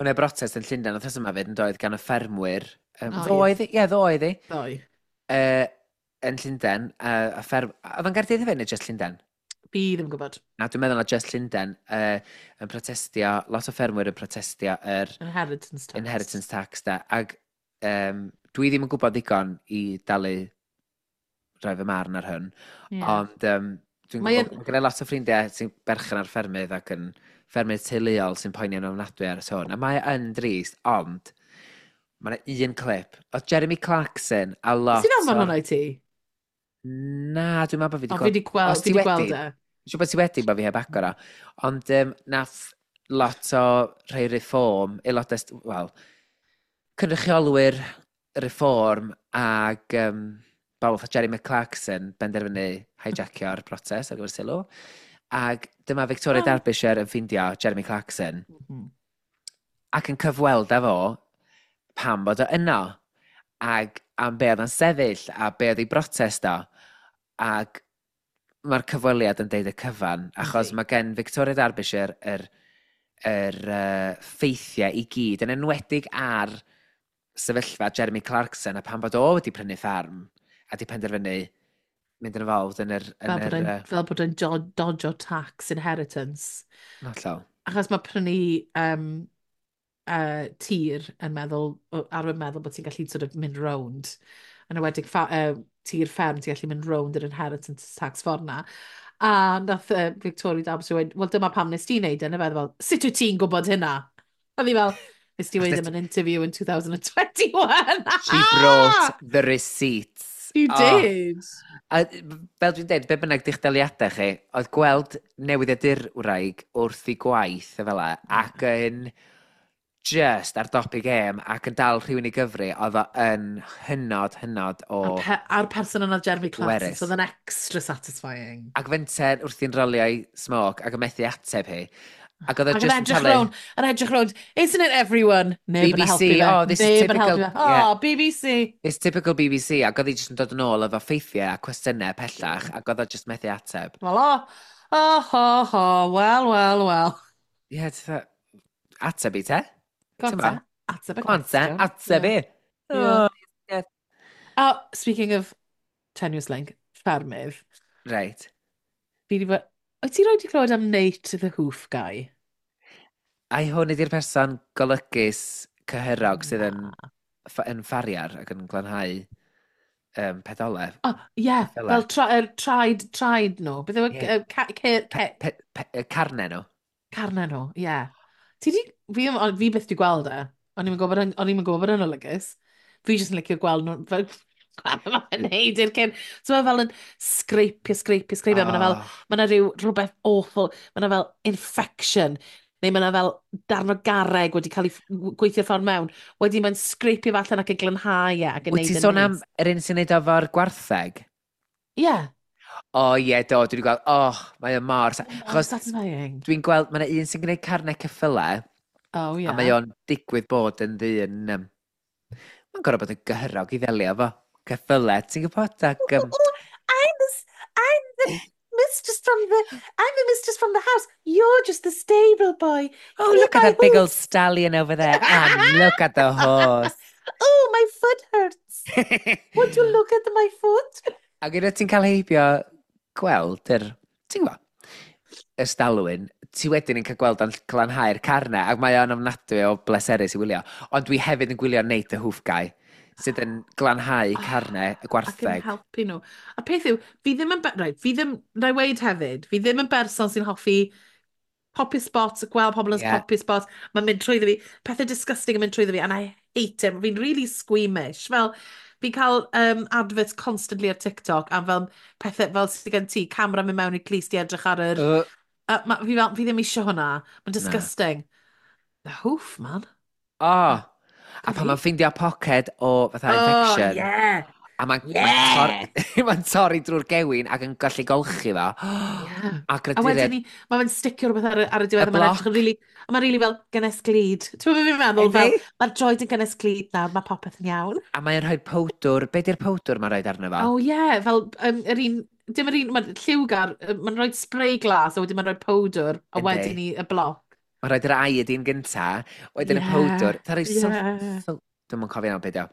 Hwna brotest yn Llundain, oedd yma fyd yn doedd gan y ffermwyr. O, Ddoe ie. iddi? Ie, ddoe iddi. Ddoe. Yn Llundain, y fferm... Oedd o'n Gaerdydd hefyd neu just Llundain? Fi ddim yn gwybod. Na, dwi'n meddwl na just Llundain yn protestio, lot o ffermwyr yn protestio yr Inheritance tax. Inheritance tax da. Ac dwi ddim yn gwybod ddigon i dalu rhoi fy marn ar hwn. Ond dwi'n Mae gwybod, mae gen i lot o ffrindiau sy'n berchen ar ffermydd ac yn ffermydd teuluol sy'n poeni yn ofnadwy ar y sôn. A mae yn drist, ond mae yna un clip. Oedd Jeremy Clarkson a lot Ti'n anfon o'r hwnna i ti? Na, dwi'n meddwl bod fi O, wedi fi wedi gweld, Os fi ti wedi gweld wedi? e. Siŵr bod ti wedi bod fi heb agor o. Ond nath lot o rhai Reform, aelodau, wel, cynrychiolwyr Reform ag bobl fatha Jeremy Clarkson benderfynu hijackio'r protest ar gyfer sylw. Ag dyma Victoria Derbyshire yn ffeindio Jeremy Clarkson ac yn cyfweld â fo pam bod o yno ac am be oedd o'n sefyll a be oedd ei brotest o, ac mae'r cyfweliad yn deud y cyfan achos mae gen Victoria Derbyshire yr ffeithiau i gyd, yn enwedig ar sefyllfa Jeremy Clarkson a pam bod o wedi prynu ffarm a di penderfynu mynd yn involved yn yr... Yn Fel bod yr e'n fel bod e'n dodge o tax inheritance. Hollol. Achos mae prynu tir yn meddwl, ar y meddwl bod ti'n gallu sort of mynd rownd. Yn enwedig tir fferm, ti'n gallu mynd rownd yr inheritance tax ffordd na. A nath Victoria Derbyshire weud, "Wel, dyma pam nes ti wneud e." Na fe fel, "Sut wyt ti'n gwybod hynna?" A fi fel, "Nes ti weud am an interview in 2021." She brought the receipts. You Oh. did. A fel dwi'n dweud, be bynnag di'ch daliadau chi, oedd gweld newyddiadurwraig wrth i gwaith y fel 'a, ac yn Just ar dop ei gêm ac yn dal rhywun i gyfri, oedd o yn hynod, hynod o A'r person yna, Jeremy Clarkson, bwerus. So oedd yn extra satisfying. Ac fynten wrthi'n rolio ei smoke ac yn methu ateb hi. Ac oedd o Ac yn just yn edrych taflu rownd, yn edrych rownd, "Isn't it everyone?" Neb yn BBC, helpu fe. oh, this is Neb yn helpu typical, fe. yeah. Oh, BBC. It's typical BBC, ac oedd hi jyst yn dod yn ôl efo ffeithiau a cwestiynau pellach, ac oedd o just methu ateb. Wel, oh, oh, ho, ho, well, well, well. Ie, yeah, ateb i te. Go on Ti'n ma? te, ateb y Go on te, cwestiwn. ateb i. Yeah. Oh, yeah. Oh, speaking of tenuous link, ffermydd. Right. Fi di bod. Wyt ti rioed 'di clywed am Nate the Hoof Guy? Ai hwn ydy'r person golygus cyhyrog sydd yn, Na. yn ffariar ac yn glanhau pedolau? Oh, ie, yeah, Ceffylau. fel traed nhw. Beth yw Ie. e? Carnau nhw. Carnau nhw, ie. Yeah. Ti di. Fi, ddim- fi byth di gweld e. O'n i'm yn gwybod bod yn olygus. Fi jyst yn licio gweld nhw fel gweld mae'n neud i'r cyn. So mae fel yn scrape, scrape, scrape. Oh. Mae fel, Oh, mae 'na rhywbeth awful. Mae 'na fel infection. Neu mae 'na fel darn o garreg wedi cael ei gweithio ffordd mewn. Wedyn mae'n scrapeio fe allan ac yn glanhau e ac yn Wyt neud ti'n yn sôn am neis. yr un sy'n neud efo'r gwartheg? Ie. Yeah. O ie, do, dwi wedi gweld, oh, mae o mor. Mor Achos satisfying. dwi'n gweld, mae yna un sy'n gwneud carnau ceffylau, Oh, a mae yeah. o'n digwydd bod yn ddyn. Mae'n gorfod bod yn gyhyrog i ddelio efo ceffylau, ti'n gwybod? Ac, I'm the mistress from the I'm the mistress from the house. You're just the stable boy. Oh, Clean look at my that big old hooves. stallion over there, and look at the horse. Oh, my foot hurts. Would you look at my foot? Ac unwaith ti'n cael heibio gweld yr, ti'n gwybod, y stalwyn, ti wedyn yn cael gweld o'n glanhau'r carnau, ac mae o'n ofnadwy o bleserus i wylio. Ond dwi hefyd yn gwylio Nate the Hoof Guy, sydd yn glanhau carnau y Ac yn gwartheg. helpu nhw. A peth yw, fi ddim yn... Right, fi ddim. Na i weud hefyd, fi ddim yn berson sy'n hoffi popio spots, gweld pobl yn popio spots. Mae'n mynd trwyddo fi. Pethau disgusting yn mynd trwyddo fi, and I hate it. Fi'n really squeamish. Fel, fi'n cael adverts constantly ar TikTok am fel pethau fel sydd gen ti, camera mynd mewn i clust i edrych ar yr... Fi, fel, fi ddim eisiau hwnna. Mae'n Na. disgusting. The hoof, man. Oh, a Good pan fi. mae'n ffeindio poced o fatha Oh, infection, a mae'n ma ma torri drwy'r gewyn ac yn gallu golchi fo. Yeah. A A wedyn creaduriaid ni, mae fe'n sticio rhywbeth ar y y diwedd, a mae'n edrych bloc. yn really, a mae'n really fel gynnes glud. Ti'n gwybod beth fi'n meddwl? Fel, Yndi? mae'r droed yn gynnes glud nawr, mae popeth yn iawn. A mae'n rhoi powdwr. Be di'r powdwr mae'n rhoi arno fo? Oh yeah, fel yr un, dim yr un, mae'n lliwgar, mae'n rhoi spray glas, a wedyn mae'n rhoi powdwr, a Yndi. wedyn ni y bloc. Mae'n rhoi'r iodine gynta, wedyn y powdwr. Ta rhoi Dwi'm yn cofio nawr beth o.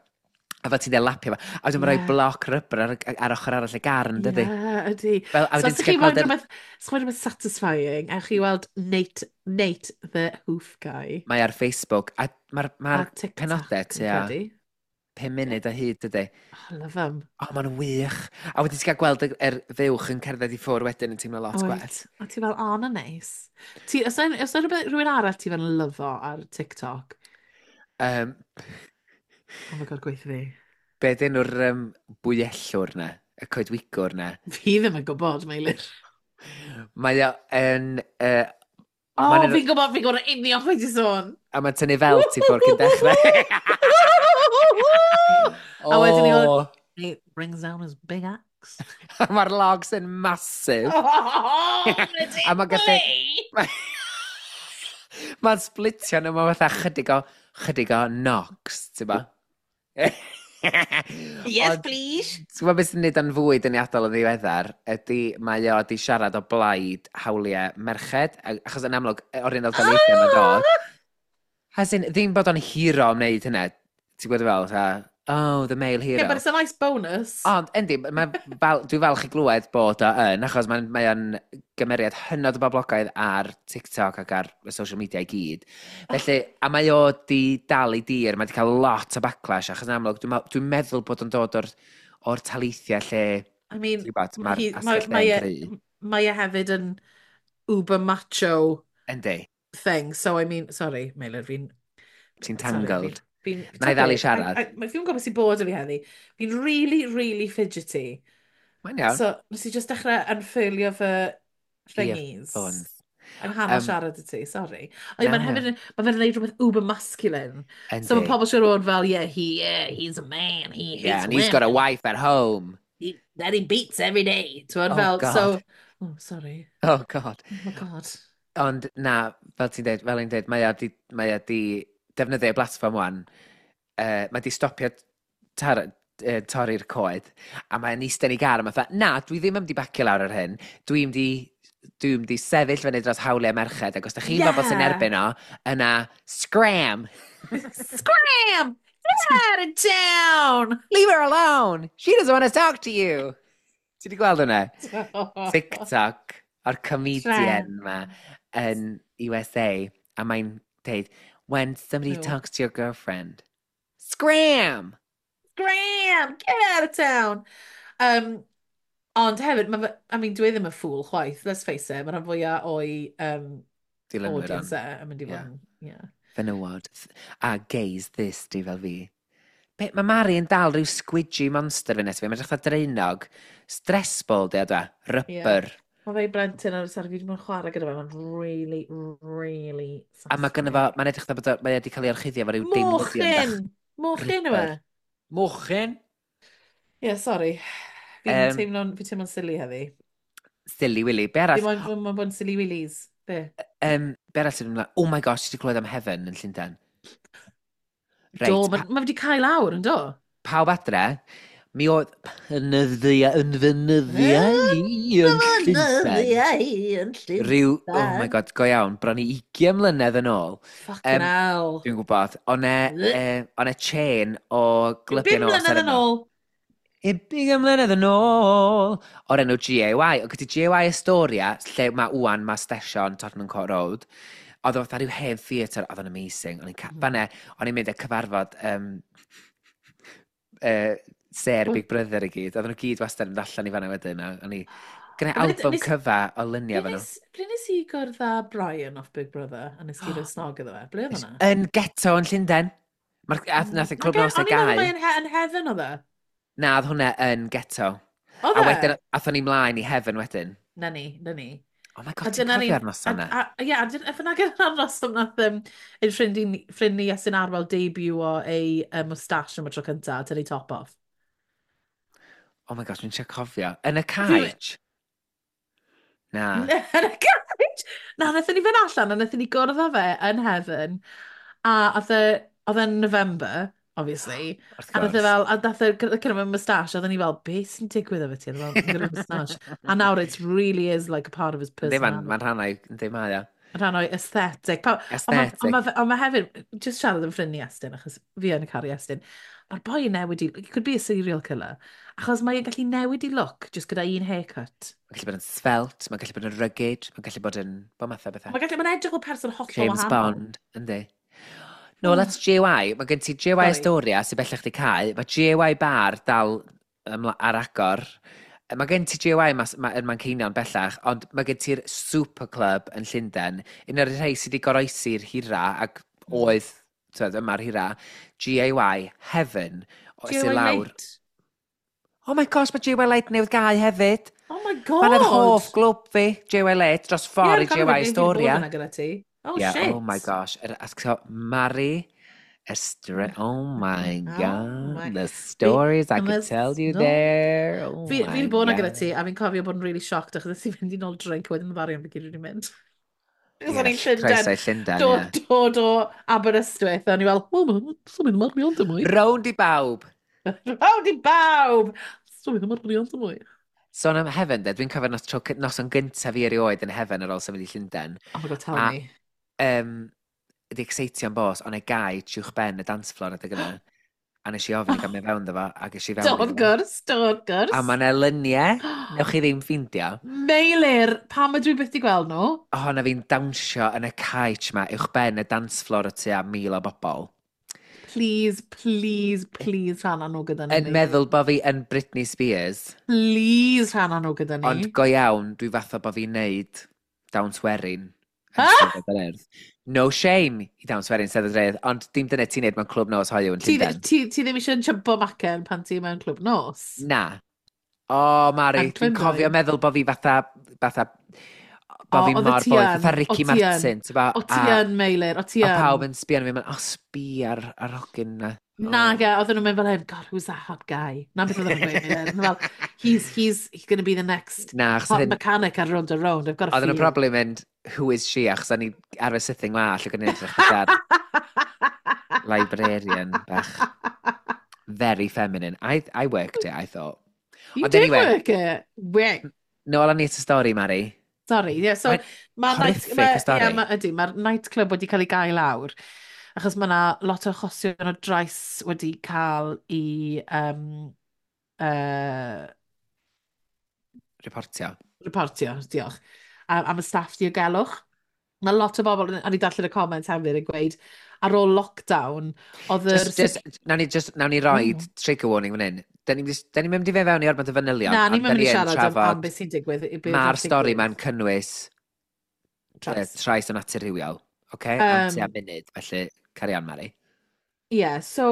A fel ti'n dweud lapio fo. A wedyn mae'n rhoi bloc rubber ar ochr arall y garn, dydy? Yeah, ydy. Fel, a So, wedyn os ti'n ydych cael chi moyn gweld yr rhywbeth, os chi moyn rhywbeth satisfying, ewch chi weld Nate the Hoof Guy Mae ar Facebook, a mae'r ma ar TikTok, penodau fi'n tua credu. 5 munud o hyd, dydy. Oh, I love him. O, mae'n wych. A wedyn ti'n cael gweld yr fuwch yn cerdded i ffwrdd wedyn yn teimlo lot gwell. Wyt. A ti fel, o, na neis. Ti, os yna rhywun arall ti fel yn lyfo ar TikTok? Oh my God, gweithio fi. Be dyn nhw'r bwyellwr na, y coedwigwr na? Fi ddim yn gwybod, Meilir. Mae o yn... O, Mae'n fi'n gwybod yn union pwy ti sôn. A mae'n tynnu fel ti ffwrdd cyn dechrau. A wedyn ni fel, O, he brings down his big axe. Mae'r logs yn massive. Oh, A mae'n gallu... Mae'n splitio nhw, mae'n fatha chydig o knocks, ti'n ba? Yes, Ond, please. ti'n gwybod beth sy'n neud o'n fwy deniadol yn ddiweddar? Ydy mae o di siarad o blaid hawliau merched, achos yn amlwg, o'r Unol Daleithiau mae'n dod. As in, ddim bod o'n hero am wneud hynna, ti'n gwybod fel, fatha, "Oh, the male hero." Yeah, but it's a nice bonus. Ond, yndi, dwi falch i glywed bod o yn, achos mae o'n gymeriad hynod o boblogaidd ar TikTok ac ar y social media i gyd. Felly, a mae o di dal i dir, mae di cael lot o backlash, achos yn amlwg, dwi'n dwi meddwl bod o'n dod o'r taleithiau lle, I mean, ti'n gwybod, mae'r asgell mae de'n e, gry. mae e hefyd yn uber macho Yndi, thing. So, I mean, sorry, Meilir, fi'n ti'n Sorry, tangled. fi'n Na i ddal i siarad. Fi'n gwybod beth sy'n bod â fi heddi. Fi'n really, really fidgety. Mae'n iawn. So, nes i just dechrau unfurlio fy thingies. Earphones. Yng nghanol siarad i ti, sorry. O, Na, mae'n na. hefyd, mae fe'n gwneud rhywbeth uber masculine. So mae Yndi. pobl siŵr o fod fel, yeah, he's a man, he Yeah, hates and he's got a women. wife at home. That he beats every day. Ti'n Oh, fel, God. so... Oh, sorry. Oh, God. Oh my God. Ond na, fel ti'n dweud, fel i'n dweud, mae o di defnyddio ei blatfform wan. Mae di stopio torri'r coed, a mae'n eistedd yn ei gar, a mae'n fatha, na, dwi ddim yn mynd i bacio lawr ar hyn. Dwi'n mynd i sefyll fyny dros hawliau merched, ac os da chi'n bobl sy'n erbyn o, yna, scram! Scram! Get out of town! Leave her alone! She doesn't want to talk to you! Ti wedi gweld hwnna? TikTok o'r comedian ma yn USA, a mae'n deud, "When somebody No. talks to your girlfriend, scram!" Scram! Get out of town! Ond hefyd, ma fe, I mean, dwi e ddim yn ffŵl chwaith, let's face it, mae rhan fwyaf o'i Dilynwyr audience o'n e yn mynd i fod yn, yeah. Fenywod. A gays thirsty fel fi. Be, mae Mari yn dal rhyw squidgy monster yn fi. Mae'n edrych fatha draenog. Stress ball, di o dwa. Rubber. Yeah. Mae fe i blentyn ar y sar, fi wedi bod yn chwarae gyda fe, mae'n really, really A mae gynno fo, mae'n edrych fatha bod mae wedi cael ei orchuddio efo ryw deimlyddion bach. Mochyn! Mochyn yw e? Rubber. Mochyn? Ie, sorry. Fi'n teimlo'n silly heddi. Silly Willy. Be arall? Fi moyn bod yn silly willies. Be? Be arall sy'n ymlaen? Oh my gosh, ti wedi clywed am Heaven yn Llundain? Reit, Do, mae ma wedi cael awr, yn do? Pawb adre, mi oedd yn fy nyddiau i yn Llundain. Rhyw, oh my God, go iawn, bron i 20 mlynedd yn ôl. Fucking hell. Dwi'n gwybod, o'n e, o'n e chain o glybiau 5 nos mlynedd ar yn yno. ôl. 20 mlynedd yn ôl! O'r enw GAY. O gyda GAY Astoria, lle mae wwan, mae stesion Tottenham Court Road, oedd o fatha rhyw hen theatr, oedd o'n amazing. O'n i'n fan'na, o'n i'n mynd i cyfarfod ser Big Brother i gyd. Oedden nhw gyd wastad yn mynd allan i fan'na wedyn. A o'n i gyda album cyfa o luniau Ble fan nhw. Ble nes i gwrdd â Brian off Big Brother a nes i roi snog iddo fe? Ble oedd hwnna? Yn ghetto yn Llundain. Mae'r, nath y clwb nos O'n y i'n meddwl gau. mai yn Heaven oedd e. Na, oedd hwnna yn ghetto. Oedd A e? wedyn, athon ni mlaen i Heaven wedyn. Na ni, na ni. Oh my A God, ti'n dyna ni- cofio'r noson yna? A ie, a fyna gyda'r noson nath ein ffrind ni Iestyn Arwel debut o ei moustache am y tro cyntaf, tynnu top off. Oh my gosh, dwi'n siarad cofio. Yn y caej? Na. Yn y caej! Na, wnaethon ni fynd allan a wnaethon ni gwrdd â fe yn Heaven. A oedd e'n November, obviously. Wrth A nath e gwrs. fel, a nath e gyda fe moustache, a oedden ni fel, "Beth sy'n digwydd efo ti?" A fel, "Gyda moustache." A nawr it really is like a part of his Yndi, personality. Mae'n rhan o'i, yndi, mae o. Rhan o'i aesthetic. Aesthetic. Ond ma hefyd, just siarad yn ffrind ni Estyn, achos fi yn caru Estyn, mae'r boi yn newid i, he could be a serial killer, achos mae'n gallu newid i look just gyda un haircut. Mae'n gallu bod yn svelte, mae'n gallu bod yn rugged, mae'n gallu bod yn bob math o bethau. Mae'n edrych fel person hollol James wahanol. Bond, yndi. No, let's GY. Mae gen ti GY Sorry. Astoria sy'n bellach di cael. Mae GY Bar dal ar agor. Mae gen ti GY yn Manceinion bellach, ond mae gen ti'r Super Club yn Llundain. Un o'r rhai sydd wedi goroesi'r hira ac oedd, twed, yma'r hira, GAY Heaven, GAY sydd lawr. Late. Oh my gosh, mae GY Late newydd gau hefyd. Oh my God! Mae'n hoff glwb fi, GY Late, dros ffordd i Ie, GY Astoria. Fi 'di bod yna gyda ti. Oh, Yeah, shit. oh my gosh. So, Mari, oh my Oh God, the stories I could tell you there. Oh Fi my 'di bod yna gyda God. ti, a fi'n cofio bod yn really shocked achos nes i fynd i nôl drink wedyn y arian fi gyd wedi mynd. Achos o'n i'n Llundain, Croeso i Llundain, ie. dod o Aberystwyth, a o'n i fel, "O, mae'n symud yn arian dim mwy." Rownd i bawb. Rownd i bawb! Symud yn arian dim mwy. Sôn am Heaven, de, dwi'n cofio noson gyntaf fi erioed yn Heaven ar ôl symud i Llundain. Oh my God, tell A me. Ydi excitio'n bos, ond e gau uwch ben y dance floor adeg yna. A nes i ofyn i gael mynd fewn ddo fo, a ges i fewn Do, iddo wrth fo. gwrs, do, wrth gwrs. A mae yna luniau, newch chi ddim ffeindio. Meilir, pam ydw i byth di gweld nhw? Ohona fi'n dawnsio yn y caets ma, uwch ben y dance floor o tua 1,000 o bobl. Please, please, please rhanna nhw gyda ni. Yn meddwl bod fi yn Britney Spears, Please rhanna nhw gyda ni. ond go iawn, dwi fatha bod fi'n neud dawns werin yn Ah! Steddfod yr Urdd. No shame i dawns werin Steddfod yr Urdd, ond dim dyna ti'n neud mewn clwb nos hoyw yn Llundain. Ti ddim eisiau jumpo macen pan ti mewn clwb nos? Na. O, Mari, Yn dwi'n cofio Llundain. meddwl bod fi fatha Bo O, fi oedd mor ti boeth, yn, fatha o Ricky ti yn. Martin, ti'n bo, O ti a, yn, Meilir, o ti a pawb yn. yn sbio arno fi, mynd, o, sbi ar hogyn na. Na, Oh. ge, oedden nhw'n mynd fel hyn, "God, who's that hot guy?" Na beth oedden nhw'n gweud, Meilir. Nhw fel, he's going to be the next Na, achos hot oedd mechanic ar Rownd a Rownd, I've got a oedden nhw feeling. probably mynd, "Who is she?" Achos o'n i arfer sythu'n wallt ac o'n i'n edrych fatha'r librarian bach. Very feminine. I worked it, I thought. You Ond did anyway, work it. Wait. Nôl â ni at y stori, Mari. Sorry, yeah, so Mae'n mae night, horrific ma, y stori. yeah, ma, ydy, mae'r nightclub wedi cael ei gau lawr, achos mae yna lot o achosion o drais wedi cael ei Reportio. reportio, diolch, am y staff diogelwch. Mae lot o bobl, a ni darllen y comments hefyd yn gweud, ar ôl lockdown, oedd yr... Just, nawn ni roid trigger warning fan hyn. Da ni'n da ni mynd i fe fewn i ormod o fanylion, Na, ni'n ond da mynd ni i yn siarad am trafod beth sy'n digwydd. Beth mae'r nath stori digwydd. ma'n cynnwys Trais. trais o natur rhywiol. Okay? Am tua munud, felly carry on, Mari. Ie, yeah, so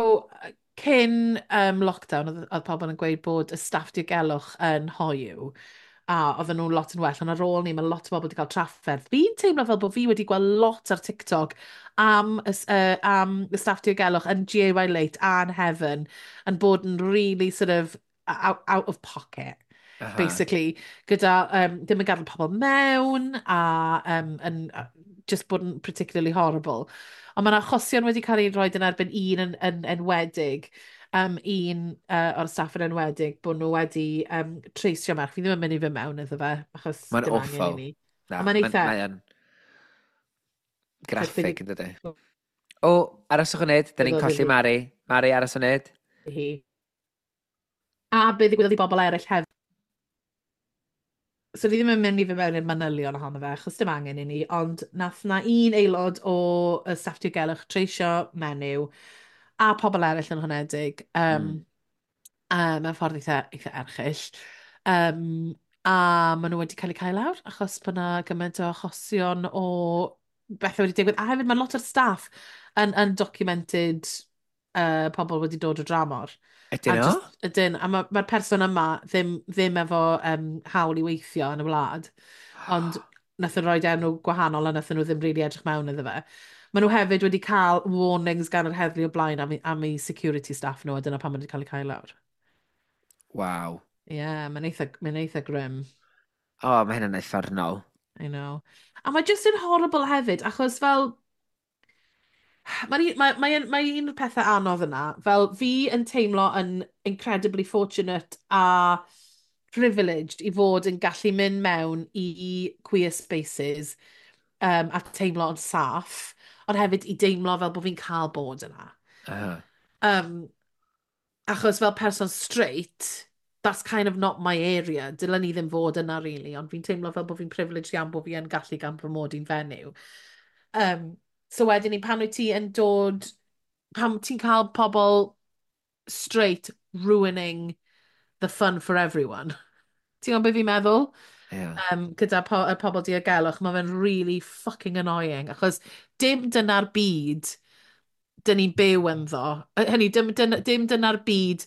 cyn lockdown, oedd pobl yn gweud bod y staff diogelwch yn hoyw, a oedden nhw'n lot yn well, ond ar ôl ni, mae lot o bobl wedi cael trafferth. Fi'n teimlo fel bod fi wedi gweld lot ar TikTok am y staff diogelwch yn GAY Late a yn Heaven, yn bod yn really sort of out of pocket basically, gyda ddim yn gadael pobl mewn a yn just bod yn particularly horrible. Ond mae'n achosion wedi cael ei rhoi yn erbyn un yn enwedig, un o'r staff yn enwedig, bod nhw wedi treisio merch. Fi ddim yn mynd i fynd mewn iddo fe, achos Mae'n dim angen i awful. ni. Na, Ond mae'n mae'n eitha- mae graffig, Beth yn dydy. O, aroswch yn nid, da ni'n Bydd o colli ddim- Mari. Mari, aros yn nid. Hi. A beth ddigwyddodd i bobl eraill hefyd. So ni ddim yn mynd i fynd mewn i'r manylion ohono fe, achos dim angen i ni, ond nath na un aelod o y staff diogelwch treisio menyw a pobl eraill yn honedig mewn ffordd eitha erchyll. A maen nhw wedi cael eu cael lawr achos bod yna gymaint o achosion o bethau wedi digwydd. A hefyd mae lot o'r staff yn undocumented pobl wedi dod o dramor. Ydyn A nhw? just, ydyn, a mae'r ma person yma ddim efo hawl i weithio yn y wlad, ond nath nhw roi enw gwahanol a nath nhw ddim really edrych mewn iddo fe. Maen nhw hefyd wedi cael warnings gan yr heddlu o blaen am eu security staff nhw, a dyna pam maen nhw wedi cael eu cael lawr. Waw. Ie, yeah, mae'n eitha grim. O, oh, mae hynny'n uffernol. I know. A mae just yn horrible hefyd, achos fel... Mae'n mae un o'r pethau anodd yna. Fel fi yn teimlo yn incredibly fortunate a privileged i fod yn gallu mynd mewn i queer spaces a teimlo yn saff, ond hefyd i deimlo fel bod fi'n cael bod yna. Achos fel person straight, that's kind of not my area. Dylen ni ddim fod yna, really, ond fi'n teimlo fel bod fi'n privileged iawn bod fi yn gallu gan fy mod i'n fenyw. So wedyn ni, pan wyt ti yn dod, pan ti'n cael pobl straight ruining the fun for everyone. Ti'n gwybod beth fi'n meddwl? Yeah. Gyda y pobl diogelwch, mae fe'n really fucking annoying, achos dim dyna'r byd dyn ni'n byw ynddo. Hynny, dim dyna'r byd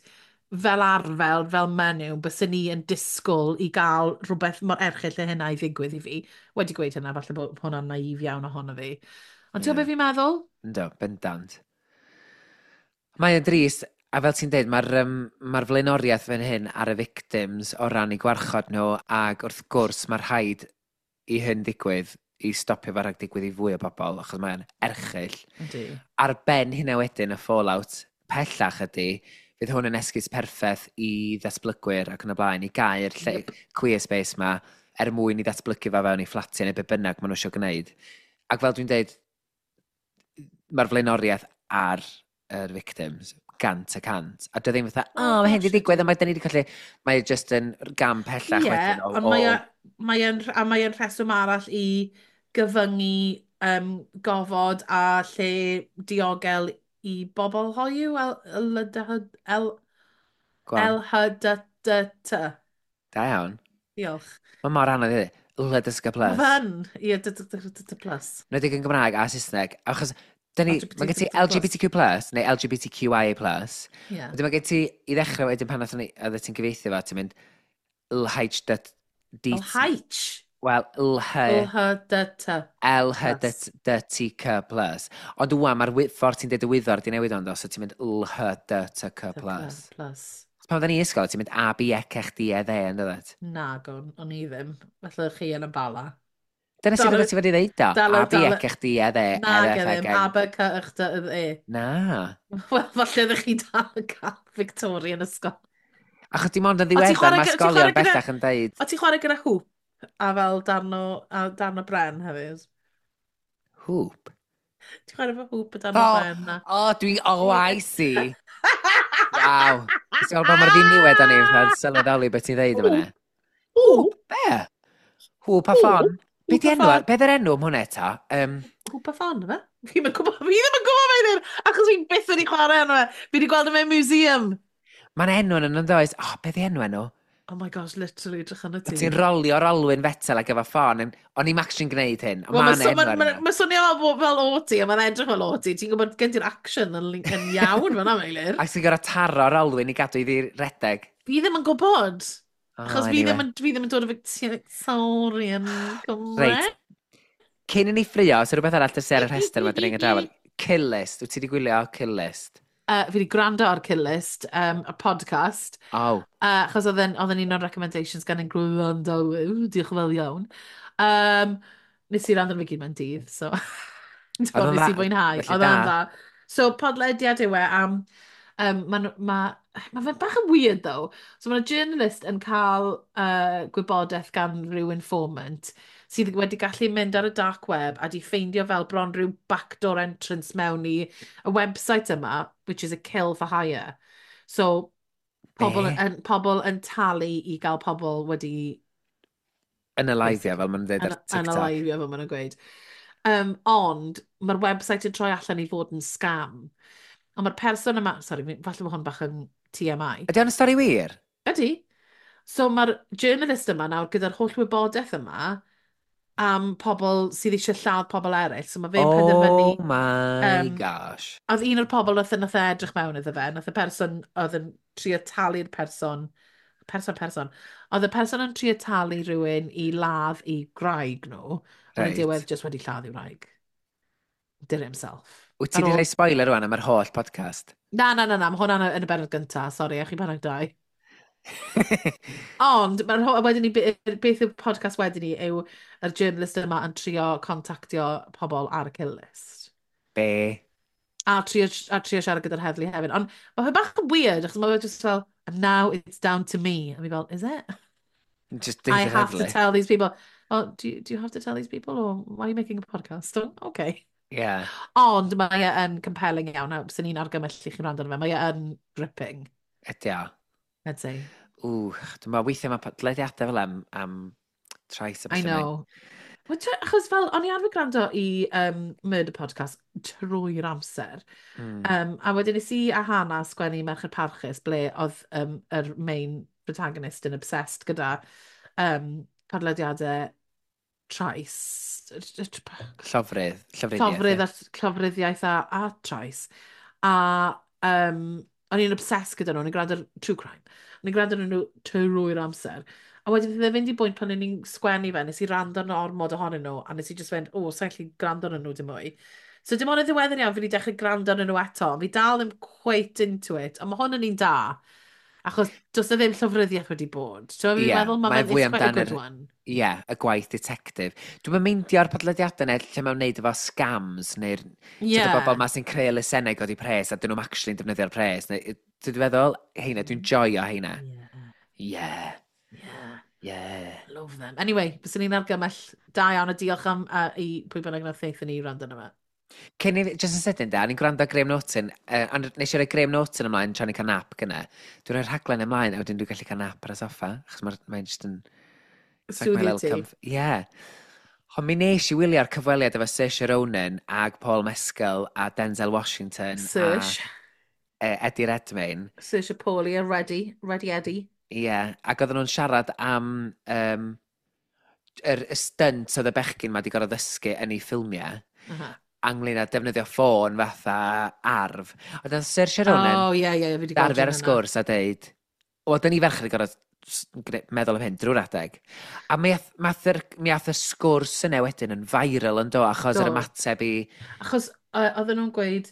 fel arfer, fel menyw, byswn ni yn disgwyl i gael rhywbeth mor erchyll â hynna i ddigwydd i fi. Wedi gweud hynna, falle bod hwnna'n naif iawn ohono fi. Ond ti'n gwybod beth fi'n meddwl? Ynddo, bendant. Mae o'n drist, a fel ti'n dweud, mae'r ma flaenoriaeth fan hyn ar y victims o ran eu gwarchod nhw, ac wrth gwrs mae'r rhaid i hyn ddigwydd i stopio fo rhag digwydd i fwy o bobl, achos mae'n erchyll. Ydy. Ar ben hynna wedyn, y fallout pellach ydy, fydd hwn yn esgus perffaith i ddatblygwyr ac yn y blaen, i gau'r lle queer space ma, er mwyn i ddatblygu fo fewn i fflatiau neu be bynnag maen nhw eisiau gwneud. Ac fel dwi'n dweud, mae'r flaenoriaeth ar yr victims, 100%. A dwi ddim fatha, o, oh, mae hyn wedi digwydd, a mae da ni wedi colli. Mae just yn gam pellach wedyn o ond mae e'n rheswm arall i gyfyngu gofod a lle diogel i bobl hoyw, L, L, D, H, L, Go on. L, H, D, D, T. Da iawn. Diolch. Mae mor anodd i ddweud. L, D, S, G Mae plus. fe'n, ie, D, D, D, D, D plus. Nid yn Gymraeg a Saesneg. Achos, da ni, mae gen ti LGBT plus. LGBTQ+, neu LGBTQIA+. Ie. Wedyn mae gen ti, i ddechrau wedyn pan nathon ni, oeddet ti'n gyfieithu fo, ti'n mynd L, H, D, D, L, H. Wel, L H... L H D T. L H D D T C plus. Ond wwan, mae'r ffordd ti'n deud y wyddor di newid ond, so ti'n mynd L H D T C plus. Plus. Pan oedden ni ysgol, ti'n mynd A, B, E, C, D, E, D, yn dod? Na, gon, o'n i ddim. Felly chi yn y bala. Dyna sydd wedi wedi ddeud o. A, B, E, C, D, E, D, Na, R, F, E, G. A, B, C, H, D, E. Na. Wel, falle ddech chi dal yn cael Victorian ysgol. Achos dim ond yn ddiweddar mae ysgolion bellach yn deud. O ti'n chwarae gyda hŵp a fel darn o, a darn o bren hefyd? Hŵp? Ti'n chwarae efo hŵp a darn o bren? O, oh, dwi, oh, I see. Waw. Ti'n gweld pa mor ddiniwed o'n i, fatha sylweddoli beth ti'n ddeud yma. Hŵp? Be? Hŵp a ffon. Be di enw? Be di'r enw am hwnna eto? Hŵp a ffon, fe? Fi ddim yn gwybod, fi ddim yn gwybod fe ddim, achos fi'n byth wedi chwarae arno fe. Fi wedi gweld e mewn museum. Mae'n enw yn yn does? Oh, be di enw enw? Oh my gosh, literally, drych arno ti. Ti'n rolio'r olwyn fetel ac efo ffon. O'n i'n actually'n gwneud hyn. Ond well, mae'n enw arno. Mae'n swnio fel o ti, a mae'n edrych fel o ti. Ti'n gwybod gen ti'r action yn, yn iawn fyna, Meilir. Ac ti'n gorfod taro'r olwyn i gadw iddi redeg. Fi ddim yn gwybod. Oh, Achos anyway. fi ddim yn dod o Victorian Cymru. Reit. Cyn i ni ffrio, os yw rhywbeth arall dy ar y rhestr yma, dyn ni'n drafod. Kill List. Wyt ti wedi gwylio Kill List? Fi wedi gwrando ar Kill List, y podcast. Oh. Achos oedd e'n un o'r recommendations gan ein gwrando. Diolch yn fawr iawn. Nes i rando ar fe gyd mewn dydd, so... Nes i fwynhau. Oedd o'n dda. So, podlediad yw e am... Mae ma, ma fe'n bach yn weird, though. So, mae'r journalist yn cael gwybodaeth gan rhyw informant sydd wedi gallu mynd ar y dark web a di ffeindio fel bron rhyw backdoor entrance mewn i y website yma, which is a kill for hire. So, pobl yn talu i gael pobl wedi... Yn aliveio, fel maen nhw'n dweud ar TikTok. Yn aliveio, fel maen nhw'n gweud. Ond, mae'r website yn troi allan i fod yn scam. Ond mae'r person yma... Sorry, falle mae hwn bach yn TMI. Ydy o'n stori wir? Ydy. So mae'r journalist yma nawr gyda'r holl wybodaeth yma am pobl sydd eisiau lladd pobl eraill. So mae fe'n penderfynu... Oh my gosh. Oedd un o'r pobl nath e edrych mewn iddo fe, nath y person oedd yn trio talu'r person, person. Oedd y person yn trio talu rhywun i ladd i graig nhw, right. Yn y diwedd just wedi lladd i wraig. Did it himself. Wyt ti wedi rhoi spoiler rwan am yr holl podcast? Na, mae hwnna'n yn y bennod gyntaf, sori, a chi bennod 2. Ond, wedyn ni, beth yw'r podcast wedyn ni yw yr journalist yma yn trio contactio pobl ar y kill list. Be? A trio siarad gyda'r heddlu hefyd. Ond mae fe bach yn weird, achos mae fe just fel, and now it's down to me. A fi fel, is it? Just deud I have to tell these people. Oh, do you have to tell these people? Or why are you making a podcast? Oh, okay. Yeah. Ond mae e yn compelling iawn, a sy'n ni'n argymell i chi wrando arno fe. Mae e yn gripping. Ydy o. I'd say. Ww, dwi'n meddwl weithiau mae podlediadau fel am trais a I know. Well, achos fel, o'n i arfer gwrando i Murder Podcast trwy'r amser. Mm. A wedyn nes i a Hannah sgwennu Merched Parchus, ble oedd yr main protagonist yn obsessed gyda podlediadau trais. Llofrudd. Llofrudd a llofruddiaeth a trais. A o'n i'n obsessed gyda nhw, o'n i'n gwrando ar true crime. O'n i'n gwrando ar nhw trwy'r amser. A wedyn fe fynd i bwynt pan o'n i'n sgwennu fe, nes i rando arno ormod ohonyn nhw, a nes i just fynd, o, sa'n gallu gwrando arnyn nhw dim mwy. So dim ond yn ddiweddar iawn, fi wedi dechrau gwrando arnyn nhw eto, ond fi dal ddim quite into it, ond mae hwn yn un da. Achos does na ddim llofruddiaeth wedi bod. Ti'n Ie, meddwl, mae mae fwy fe'n it's quite a amdan good yr- one. Ie, y gwaith detective. Dwi'n meindio'r podlediadau yna lle mae'n wneud efo scams neu'r Ie. yeah. Y bobl ma sy'n creu elusennau godi pres a dyn nhw'n actually'n defnyddio'r pres. Neu, dwi'n feddwl, heina, dwi'n joio heina. Yeah. Yeah. Yeah. Yeah. Love them. Anyway, byswn ni'n argymell da iawn a diolch am i pwy bynnag nath ddeutho ni i wrando arno fe. Cyn i, just yn sydyn da, ni'n gwrando Graham Norton, ond nes i roi Graham Norton ymlaen tra'n i'n cael nap gynna. Dwi'n rhoi'r rhaglen ymlaen, a wedyn dwi'n gallu cael nap ar y soffa, achos mae'n just yn... It's like my Soothe little ti. Yeah. Ond mi nes i wylio'r cyfweliad efo Saoirse Ronan ag Paul Mescal a Denzel Washington Saoirse. a Eddie Redmayne. Saoirse Paulie a Ready Eddie. Ie, yeah, ac oedden nhw'n siarad am yr stunt oedd y bechgyn ma wedi gorfod ddysgu yn ei ffilmiau. Ynglyn â defnyddio ffôn fatha arf. Ond oedd Saoirse Ronan Oh, ie, ie, fi wedi gweld darfu ar y hwnna. sgwrs a deud, o, dyn ni ferched wedi gorfod Meddwl am hyn drwy'r adeg. A mi ath y sgwrs yna wedyn yn viral yn do, achos yr ymateb i. Achos oedden nhw'n gweud,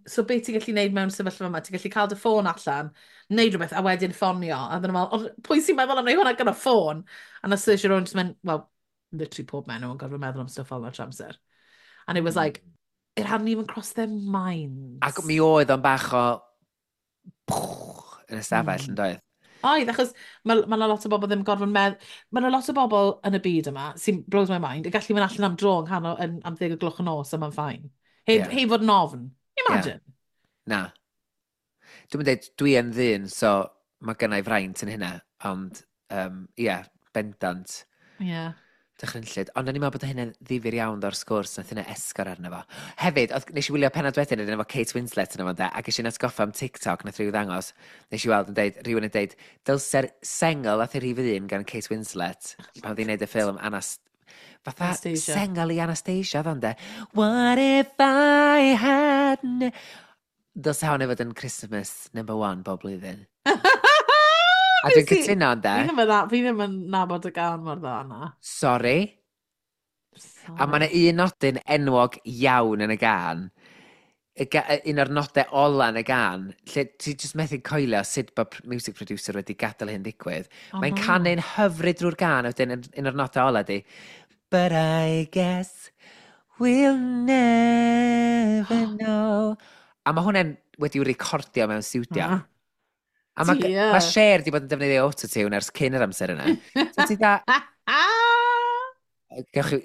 so beth ti'n gallu neud mewn sefyllfa yma? Ti'n gallu cael dy ffôn allan, neud rhywbeth, a wedyn ffonio. A oedden nhw'n meddwl, "Ond pwy sy'n meddwl am neud hwnna gyda ffôn?" A na Saoirse Ronan just mynd, "Well, literally pob menyw yn gorfod meddwl am stuff fel yna trwy amser." And it was like, it hadn't even crossed their minds. Ac mi oedd o'n bach o yn y stafell, yn doedd? Oedd, achos mae ma 'na lot o bobl ddim yn gorfod Mae 'na lot o bobl yn y byd yma, sy'n blows my mind, yn gallu mynd allan am dro yng nghanol am 10 o'r gloch y nos a mae'n fine. Heb, heb fod yn ofn. Imagine. Na. Dwi'n mynd dweud, dwi yn ddyn, so mae gennau fraint yn hynna, ond, ie, yeah, bendant. Dychrynllyd. Ond o'n i'n meddwl bod hynny'n ddifyr iawn o'r sgwrs, nath hynna esgor arno fo. Hefyd, oedd, nes i wylio penod wedyn yn efo Kate Winslet yn efo de, ac eisiau atgoffa am TikTok nath rhyw ddangos, nes i weld yn deud, rhywun yn deud, dylse'r sengl ath ei rhif 1 gan Kate Winslet, pan oedd hi'n neud y ffilm fatha Anastasia. sengl i Anastasia ddo'n de. What if I had. Dylse hwn i fod yn Christmas number one bob blwyddyn. A dwi'n cytuno, ynde? Fi ddim yn nabod y gan mor dda yna. Sorry. A mae yna un nodyn enwog iawn yn y gan. Un o'r nodau ola yn y gan, lle ti jyst methu coelio sut bod music producer wedi gadael hyn ddigwydd. Oh, Mae'n no. canu'n hyfryd drwy'r gan, a wedyn un o'r nodau ola di, "But I guess we'll never know." A mae hwnna'n wedi'w recordio mewn studio. Ah, A mae dear. ma Cher di bod yn defnyddio autotune ers cyn yr amser yna. So ti da, gewch chi,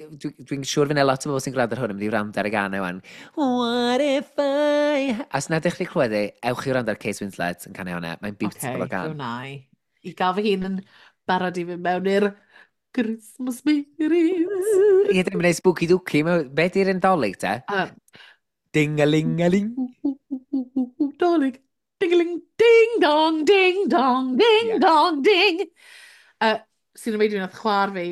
dwi'n siŵr fydd yna lot o bobl sy'n gwrando ar hwn yn mynd i wrando ar y gan wan. What if I. A os nad ydych chi clywed ei, ewch i wrando ar Kate Winslet yn canu hwnna. Mae'n beautiful Okay, o gan. wna i. I gael fy hun yn barod i fynd mewn i'r Christmas spirit. Ie, dwi'n mynd i spooky dooky. Be di'r Nadolig te? Ding-a-ling-a-ling. Dolig. Ding-a-ling, ding dong, ding dong, ding dong, ding. Sy'n ymwneud nath chwar fi.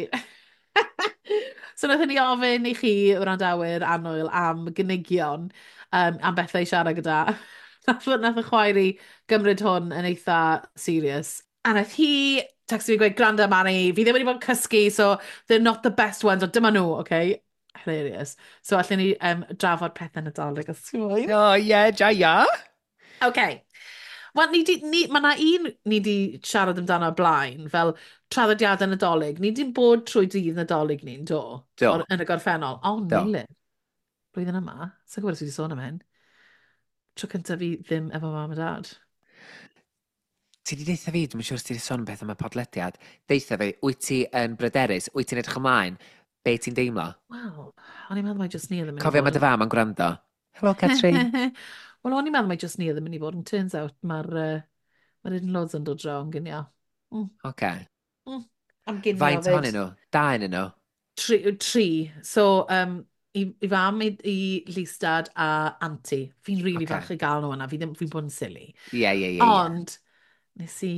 So nath ni ofyn i chi, wrandawyr annwyl, am gynigion, am bethau i siarad gyda. Nath y chwaer i gymryd hwn yn eitha serious. A nath hi text fi gweud, "Gwrando Mari, fi ddim wedi bod yn cysgu, so they're not the best ones, ond dyma nhw, okay?" Hilarious. So allen ni drafod pethau Nadolig os ti'n moyn. O, ie, joio. Okay. Wel, ni di, ni, mae na un ni di siarad amdano o blaen, fel traddodiadau Nadolig. Ni di'n bod trwy dydd Nadolig ni'n do? Do. Yn y gorffennol. O, Do. Meilir. Blwyddyn yma, sa'n gwybod os ti wedi sôn am hyn. Tro cyntaf fi ddim efo mam a dad. Ti di deutha fi, dwi'n siŵr os ti di sôn beth am y podlediad, deutha fi, wyt ti yn bryderus, wyt ti'n edrych ymlaen, be ti'n deimlo? Wel, o'n i'n meddwl mai just ni oedd yn mynd i Cofio fod mae dy fam yn gwrando. Helo, Catrin. Wel, o'n i'n meddwl mai just ni oedd yn mynd i fod, and turns out mae'r ma in-laws yn dod draw am ginio. Oce. Am ginio Faint fyd. ohonyn nhw? Dau yn nhw? Tri. Tri. So, i fam, i Listad a Auntie. Fi'n really Ocê. falch i gael nhw yna. Fi ddim, fi'n bod yn silly. Ie, ie, ie. ie. Ond, nes i,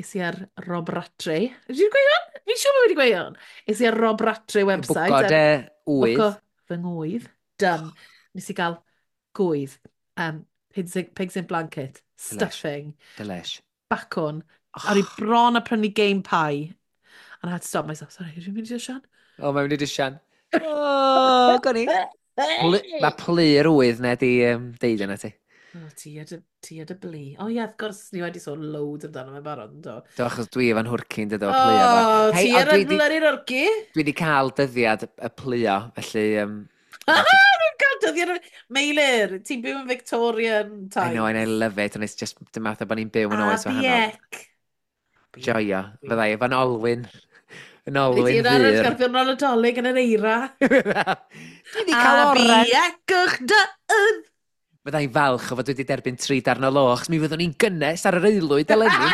es i ar Rob Rattray. Ydw i'n gweud hwn? Fi'n siŵr bod fi wedi gweud hwn. Es i ar Rob Rattray website. Bwco dy ŵydd. Bwco fy ngwydd. Done. Nes i gael gwydd. Pigs in blanket. Stuffing. Delish. Bacwn. Oh. O'n i bron a prynu game pie. And I had to stop myself. Sorry, ydw i'n mynd i Sian? O, mae'n mynd i disian. O, gwn i. Mae plu'r ŵydd na di deud yna ti. O, ti a dy blu. O ie, wrth gwrs, ni wedi sôn loads amdano fe'n barod, yn do? Do, achos dwi efo'n hwrci'n dod o pluo fo. O, Hei, ti ond ar y bloody hwrci? Dwi wedi cael dyddiad y pluo, felly. Dwi'n cael dyddiad. Meilir, ti'n byw yn Victorian times. I know, and I love it, and it's just, dyma fatha bod ni'n byw yn oes wahanol. Abiec. Joio. Fyddai efo'n olwyn. Yn Fi olwyn ti'n ar fyr. ar ddiwrnod Nadolig yn yr eira. Dwi wedi cael oren. Abiec ych dydd. Fyddai'n falch o fod wedi derbyn tri darn o lo, achos mi fyddwn ni'n gynnes ar yr aelwyd eleni.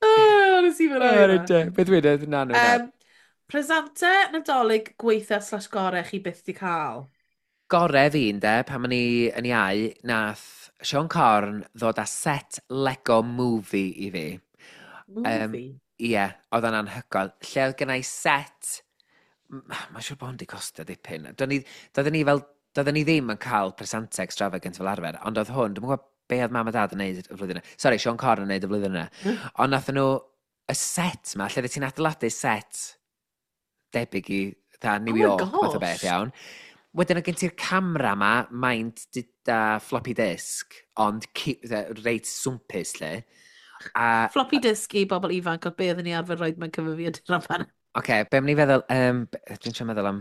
Oh, nes i fynd O, o'i. reit, beth dwi'n dweud? Na, na, na. Presante Nadolig gweitha slash gore chi byth di cael? Gore fi, ynde, pan o'n i yn iau, nath Siôn Corn ddod â set Lego Movie i fi. Movie? Ie, oedd o'n anhygoel. Lle oedd gennau set. Mae'n siŵr bod hwn wedi costio dipyn. Doeddwn ni fel Doedden ni ddim yn cael presantau extravagant fel arfer, ond oedd hwn, dwi'n gwybod be oedd Mam a Dad yn neud y flwyddyn yna. Sorry, Siôn Corn yn neud y flwyddyn yna. Ond nath nhw y set ma, lle oeddet ti'n adeiladu set debyg i tha New Oh my York, fath o beth, gosh. Iawn. Wedyn oedd gen ti'r camera ma, maint dyda floppy disk, ond reit swmpus lle. A, Floppy disk i bobl ifanc oedd be oedden ni arfer roed mewn cyfrifiadur am fan. Oce, okay, be mynd i feddwl, dwi'n trio meddwl am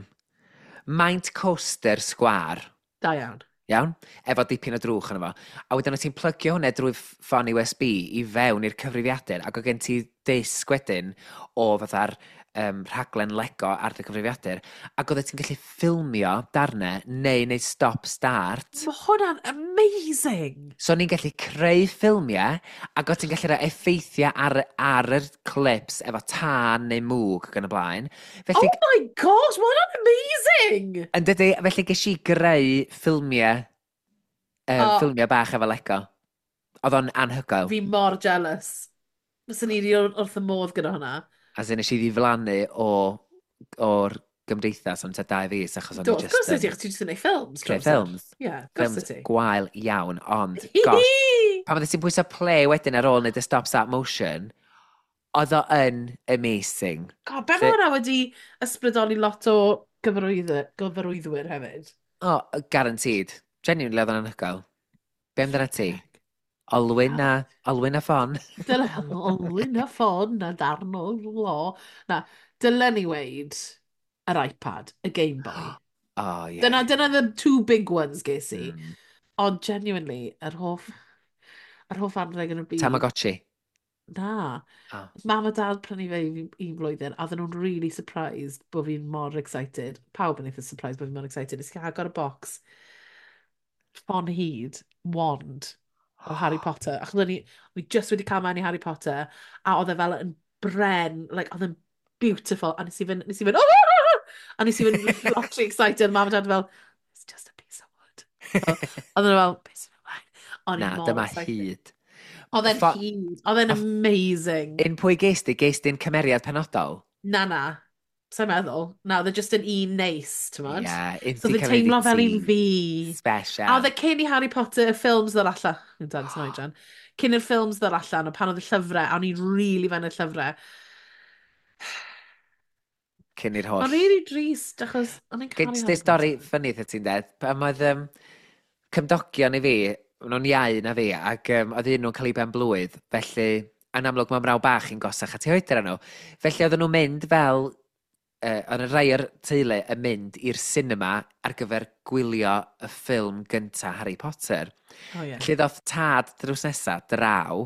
maint coaster sgwar, Da iawn. Iawn? Efo dipyn o drwch yno fo. A wedyn o ti'n plygio hwnna drwy ffon USB i fewn i'r cyfrifiadur, ac oedd gen ti disg wedyn o fatha'r rhaglen Lego ar dy cyfrifiadur, ac oedd ti'n gallu ffilmio darnau neu neud stop-start. Mae hwnna'n amazing! So ni'n gallu creu ffilmiau, ac oedd ti'n gallu rhoi effeithiau ar yr clips efo tân neu mwg ac yn y blaen. Felly, Oh my gosh, mae hwnna'n amazing! Yn dydy, felly ges i greu ffilmiau, O. ffilmiau bach efo Lego. Oedd o'n anhygoel. Fi mor jealous. Fyswn i 'di wrth y modd gyda hwnna. As in, nes i ddiflannu o'r gymdeithas am tua 2 fis, achos o'n Do, i wrth just gwrs yn ydy, achos ti jyst yn neud ffilms. Creu drwy'r amser. ffilms. Ie, wrth gwrs Ffilms ydy. gwael iawn, ond, gosh, pan oeddet ti'n pwyso play wedyn ar ôl wneud y stop-start motion, oedd o yn amazing. God, be mae hwnna wedi ysbrydoli lot o gyfarwyddwyr hefyd. Oh, guaranteed. Genuinely, oedd o'n anhygoel. Be amdana ti? Olwyn a ffon. Dyle, olwyn a ffon a darn o lo. Na, dylen ni weud yr iPad, y Game Boy. Oh, yeah. Dyna the two big ones ges i. Ond genuinely, yr hoff anrheg yn y byd. Tamagotchi. Na. Oh. Mam a Dad prynu fe i fi un blwyddyn, a oedden nhw'n really surprised bod fi'n mor excited. Pawb yn eitha surprised bod fi'n mor excited. Nes i agor y box, ffon hud, wand o Harry Potter. Achos o'n i just wedi cael mewn i Harry Potter, a oedd e fel yn bren, like, oedd e'n beautiful, a nes i fynd, oh! A nes i fynd literally excited. Mam a Dad fel, "It's just a piece of wood." Oedden nhw fel, "Piece of wood." O'n i Na, mor dyma excited. hud. Oedd e'n hud. Oedd e'n amazing. Un pwy ges di? Ges di'n cymeriad penodol? Na, na. Sa'n meddwl. Na, oedd e just yn un neis, ti'n modd? Ie, un So ti oedd e'n cymryd i teimlo fel un ti. fi. Special. A oedd e cyn i Harry Potter, y ffilms ddod allan. Yn dangos yn oedran. Cyn i'r ffilms ddod allan, o pan oedd y llyfrau, a o'n i'n really fan y llyfrau. Cyn i'r holl. Mae'n really drist, achos o'n i'n caru Gen Harry ti stori Potter. funny 'tha ti'n dweud? Pan oedd cymdogion i fi, maen nhw'n iau na fi, ac oedd un nhw'n cael ei ben blwydd, felly yn amlwg mae mrawd bach yn gosach at ei oedran nhw. Felly oedden nhw'n mynd fel, oedd y rhai o'r teulu yn mynd i'r cinema ar gyfer gwylio y ffilm gynta Harry Potter. Oh, yeah. Felly ddoth tad drws nesa draw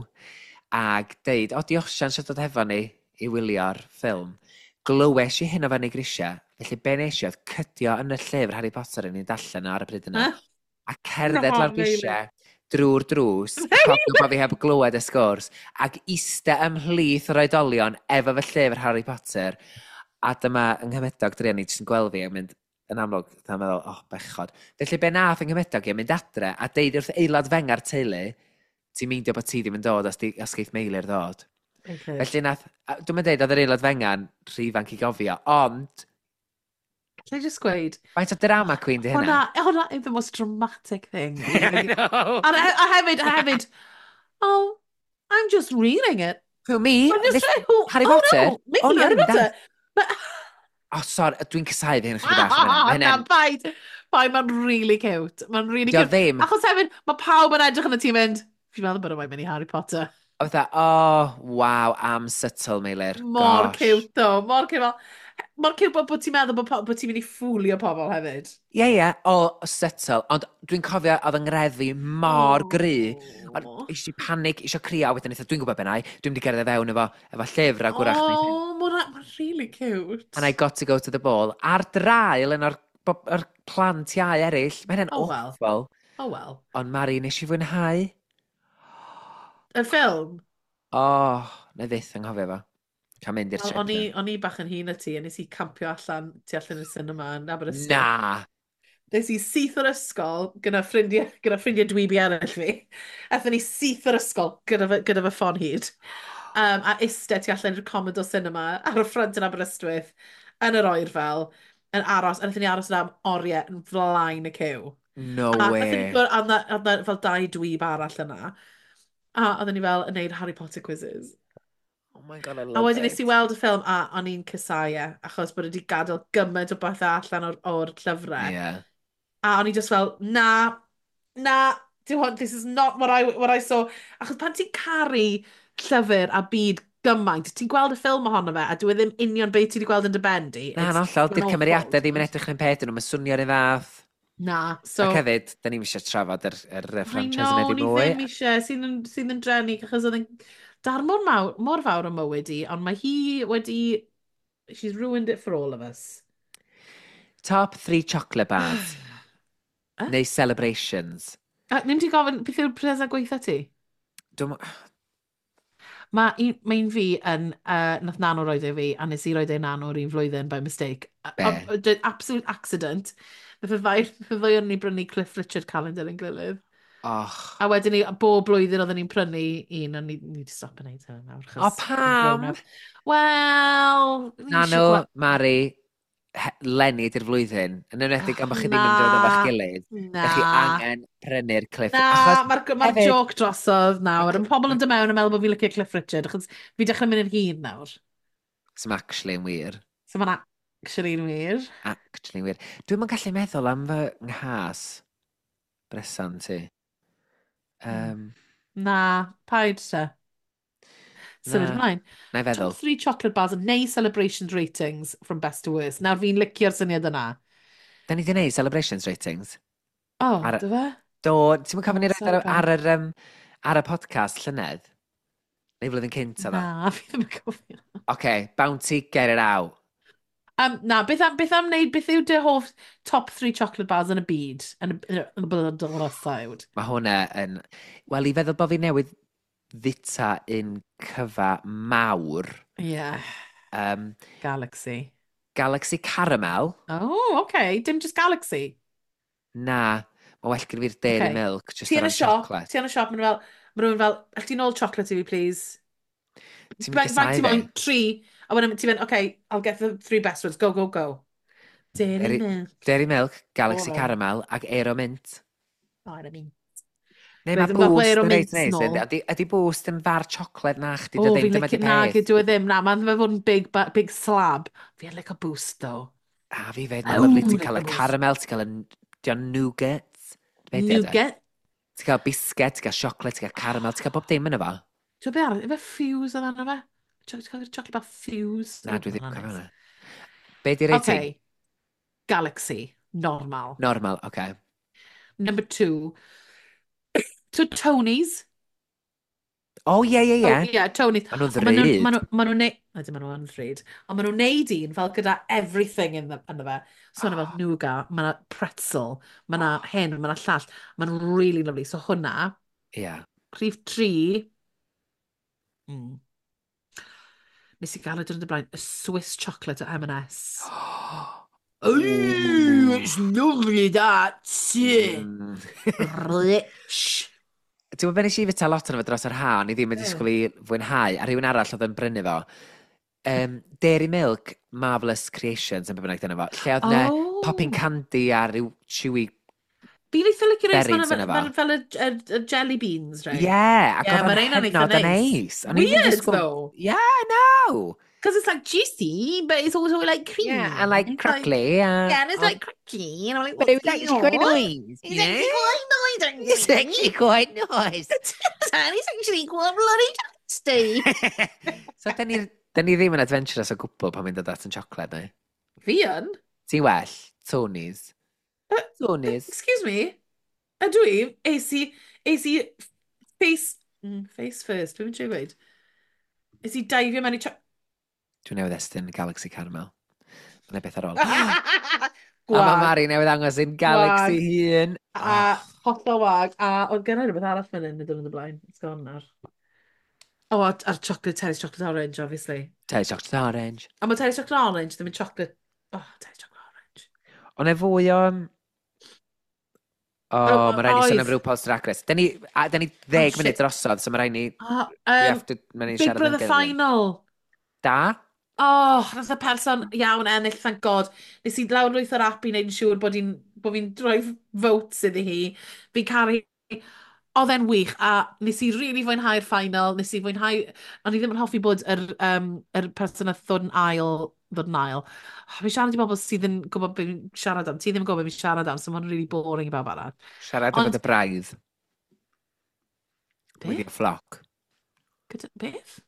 ac deud, "O, di Osian eisiau dod hefo ni i wylio'r ffilm?" Glywes i hyn o fyny grisiau, felly be nes i oedd cydio yn y llyfr Harry Potter yn ei darllen o ar y pryd yna. Huh? A cerdded Na, lawr Meilir. grisiau drwy'r drws, a cofio bod fi heb glywed y sgwrs, ac iste ymhlith yr oedolion efo fy llyfr Harry Potter. A dyma yng nghymydog druan ni jyst yn gweld fi yn mynd yn amlwg, fatha meddwl, "Oh, bechod." Felly be nath yng nghymydog i mynd adre a deud wrth aelod fenga'r teulu, "Ti'n meindio bod ti ddim yn dod os geith Meilir ddod?" Okay. Felly nath, dwi'n mynd deud oedd yr aelod fenga'n rhy ifanc i gofio, ond Can I just gweud, faint o drama queen di hynna? Hwnna is the most dramatic thing. I know. A hefyd, "Oh, I'm just reading it." Who, me? I'm just This- oh, Harry oh, Potter? No, me, Oh, no, Harry that- Potter. Oh, sorry, dwi'n casau fi hyn chydig bach. Mae Na, hynna'n- paid. Paid, mae'n really cute. Mae'n really Dio cute. ddim. Achos hefyd, mae pawb yn edrych yn y tîm mynd, "Fi'n meddwl bod o'n mynd i Harry Potter." O fatha, "Oh, wow, am subtle, Meilir." Mor Gosh. cute, though. Mor cute. Fel, mor cute bod ti'n meddwl bod ti'n mynd i ffwlio pobl hefyd. Ie, o, subtle. Ond dwi'n cofio oedd yng ngreddf fi mor gry. Ond Oh. eisiau panic, eisiau crio, a wedyn eitha, dwi'n gwybod beth dwi'n mynd i gerdded fewn efo llyfr a gwrach. Oh, mae'n really cute. And I got to go to the ball. Ar draul yn o'r plant iau eraill. Mae hynna'n Oh, well. awful. Oh, well. Ond Mari, nes i fwynhau. Y ffilm? Oh, na i fyth anghofio fo. Cael mynd i'r Wel, trip. o'n i bach yn hŷn na ti, a nes i campio allan tu allan i'r cinema yn Aberystwyth. Na. Nes i syth o'r ysgol gyda ffrindiau dweeby eraill fi. Aethon ni syth o'r ysgol gyda fy ffon hud. A iste tu allan i'r Commodore Cinema ar y ffrynt yn Aberystwyth, yn yr oerfel, Yn aros, a wnaethon ni aros yna am oriau yn flaen y cyw. No A way. wnaethon ni gwrdd, a oedd fel dau dweeb arall yna. A oedden ni fel yn neud Harry Potter quizzes. Oh my God, I A love wedyn nes i it. weld y ffilm a o'n i'n casáu e, achos bod wedi gadael gymaint o bethau allan o'r llyfrau. A o'n i just fel, na, na, do hwn, this is not what I saw. Achos pan ti'n caru llyfr a byd gymaint, ti'n gweld y ffilm ohono fe, a dwi e ddim union beth ti wedi gweld yn dy ben di. Na, yn hollol, di'r cymeriadau ddim yn edrych yn peth, nhw'n swnio'r un fath. Na, so. Ac hefyd, da ni'n eisiau trafod yr I franchise know, yna ddim ni mwy. ddim eisiau, sydd yn drueni, achos oedd yn darn mor, mawr, mor fawr o mywyd i, ond mae hi wedi. She's ruined it for all of us. Top 3 chocolate bars. Eh? Neu celebrations. A, ni'n ti gofyn, beth yw'r present gweitha ti? Dwi'n. Mae un fi yn, nath Nanw roed e fi, a nes i roed e Nanw yr un flwyddyn by mistake. Be? Absolute accident. Nath y ddwy o'n ni brynu Cliff Richard calendar yn gilydd. Och. A wedyn ni, bob blwyddyn oedden ni'n prynu un, a ni wedi stop yn neud hynny nawr. O, Achos ni'n grown pam? up. Wel, ni Nanw, eisiau Mari, Lenny di'r flwyddyn, yn enwedig am bod chi ddim yn dod efo'ch Na. gilydd. Na. Dych chi angen prynu'r Cliff. Na, Achos mae'r hefyd joke drosodd nawr. Mae pobl yn dod mewn yn meddwl bod fi'n licio Cliff Richard, achos fi dechrau mynd yn hŷn nawr. Sy'n actually yn wir. So mae'n actually yn wir. Actually yn wir. Dwi'm yn gallu meddwl am fy nghas bresant ti. Na, paid te. Symud Na. ymlaen. Na i Top feddwl. 3 chocolate bars neu celebrations ratings from best to worst. Nawr fi'n licio'r syniad yna. Da ni wedi gwneud celebrations ratings. Oh, do fe? Do, ti'n mynd cofio ni Oh, roed sorry, ar, ar, yr, ar y podcast llynedd? Neu flwyddyn cynt oedd o? Na, fi ddim yn cofio. OK, Bounty, get it out. Na, beth am wneud, beth yw dy hoff top 3 chocolate bars yn y byd? Yn y byd? Mae hwnna yn. Wel, i feddwl bod fi newydd fita un cyfa mawr. Galaxy. Galaxy Caramel. Oh, okay. Dim just Galaxy. Na, mae well gen fi'r Dairy Milk, just Ti o yn y ran siop, chocolate. ti yn y siop, maen nhw'n fel, "All ti nôl chocolate i fi, please?" Ti'n mynd Faint casáu ti moyn? fi? Tri. A wedyn ti'n mynd, "Okay, I'll get the three best ones. Go, go, go." Dairy Milk. Dairy Milk, Galaxy Oh. Caramel ac Aero Mint. Oh, I mean. Neu Reit, mae ma' Boost Aero yn reit Mint's neis. nôl. Ydy Boost yn far chocolate na chdi? O, Dy ddim, fi'n dyma di licio, na, peth. dwi e ddim, na, mae'n fe fod yn big, big slab. Fi'n licio Boost, though. A fi fed, mae'n lyfli. Ti'n Licio cael y Boost. caramel, ti'n cael y dion nougat. Be 'di o de? Nougat. Ti'n cael biscuit, ti'n cael chocolate, ti'n cael caramel, ti'n cael bob dim yn efo. Ti'n be arall? Efe Fuse oedd arno fe? Ti'n cael chocolate bar Fuse? Na, O, dwi ddim yn hwnna'n cofio neis. hwnna. Be di rating? Okay. Galaxy. Normal. Normal, oce. Okay. Number two. So Tony's. Oh, ie. Oh, yeah, Tony's. Maen nhw'n Ond maen nhw'n ddrud. ma nhw neud. Ydyn, maen nhw'n ddrud. Ond maen nhw'n neud un fel gyda everything in the, ynddo fe. So maen nhw fel nougat, mae yna pretzel, mae yna hyn, mae yna llall. Maen nhw'n really lovely. So hwnna. Rhif 3. Nes i gael y diwrnod y blaen, y Swiss chocolate o M&S. Oh, it's lovely that. Rich. Ti'n gwybod be nes i fita lot o'n fo dros yr ha, o'n i ddim yn disgwyl i fwynhau, a rhywun arall oedd yn brynu fo. Dairy Milk Marvellous Creations yn be bynnag dyna fo. Lle oedd 'na popping candy a rhyw chewy Fi'n eitha licio reis, berries mae'n yna fo. ma fel y jelly beans, right? Yeah, ac Yeah, oedd ma' o'n reina'n eitha hynod o neis. neis. O'n i ddim yn Weird, disgwyl though. Yeah, I know. Because it's like juicy, but it's also like creamy. Yeah, and like It's crackly. Yeah, and it's like crackly. And I'm like, But it what's was actually going quite on? nice. It's you know? actually quite nice, actually. It's actually quite nice. And it's actually quite bloody tasty. So, da ni ddim yn adventurous o gwbl pan mae'n dod at yn chocolate, ne? Fi yn? Ti'n well, Tony's. Tony's. Excuse me? Ydw i, es i face first, dwi'n mynd gweud. Es i daifio mewn i Dwi'n newydd estyn Galaxy Caramel. Mae'n beth ar ôl. A mae Gwag. Mari newydd angos un Galaxy hun. A hollol wag. A oedd gen i rhywbeth arall fan hyn y diwrnod y blaen. It's gone nawr. Oh, a'r chocolate, Terry's Chocolate Orange, obviously. Terry's Chocolate Orange. A mae Terry's Chocolate Orange ddim yn chocolate. Oh, Terry's Chocolate Orange. Ond e fwy o. O, Oh, mae rhaid ni sôn am oedd. RuPaul's Drag Race. Da ni 10 Oh, munud shit. drosodd, so mae rhaid ni Oh, We have to, mae ni Big siarad Brother yn gyflym. Final. Da? Oh, nath y person iawn ennill, thank God. Nes i lawrlwytho'r app i wneud yn siŵr bod fi'n rhoi votes iddi hi. Fi'n caru hi. Oedd e'n wych, a nes i really fwynhau'r final. Nes i fwynhau. O'n i ddim yn hoffi bod yr person nath ddod yn ail, ddod yn ail. Oh, fi'n siarad i bobl sydd yn gwybod beth fi'n siarad am. Ti ddim yn gwybod beth fi'n siarad am, so mae'n really boring i bawb arall. Siarad efo Ond dy braidd. With Beth? your flock. Gyda, beth?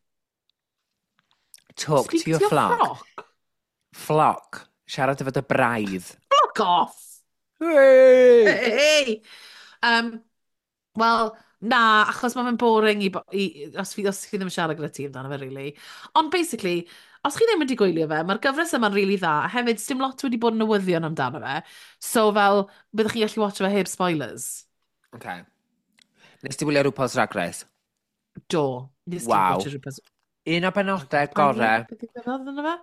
Talk Speak to your to your flock. frock. Flock. Siarad efo dy braidd. Flock off! Hey! Hey! Wel, na, achos mae fe'n boring i, os fi ddim yn siarad gyda ti amdano fe, really. Ond basically, os chi ddim wedi gwylio fe, mae'r gyfres yma'n really dda. A hefyd, dim lot wedi bod yn newyddion amdano fe. So fel, byddwch chi'n gallu watch fe heb spoilers. Okay. Nes ti wylio RuPaul's Drag Race? Do. Nes ti Waw. watch RuPaul's. Un o benodau Pa gorau. Beth ddigwyddodd yna fe?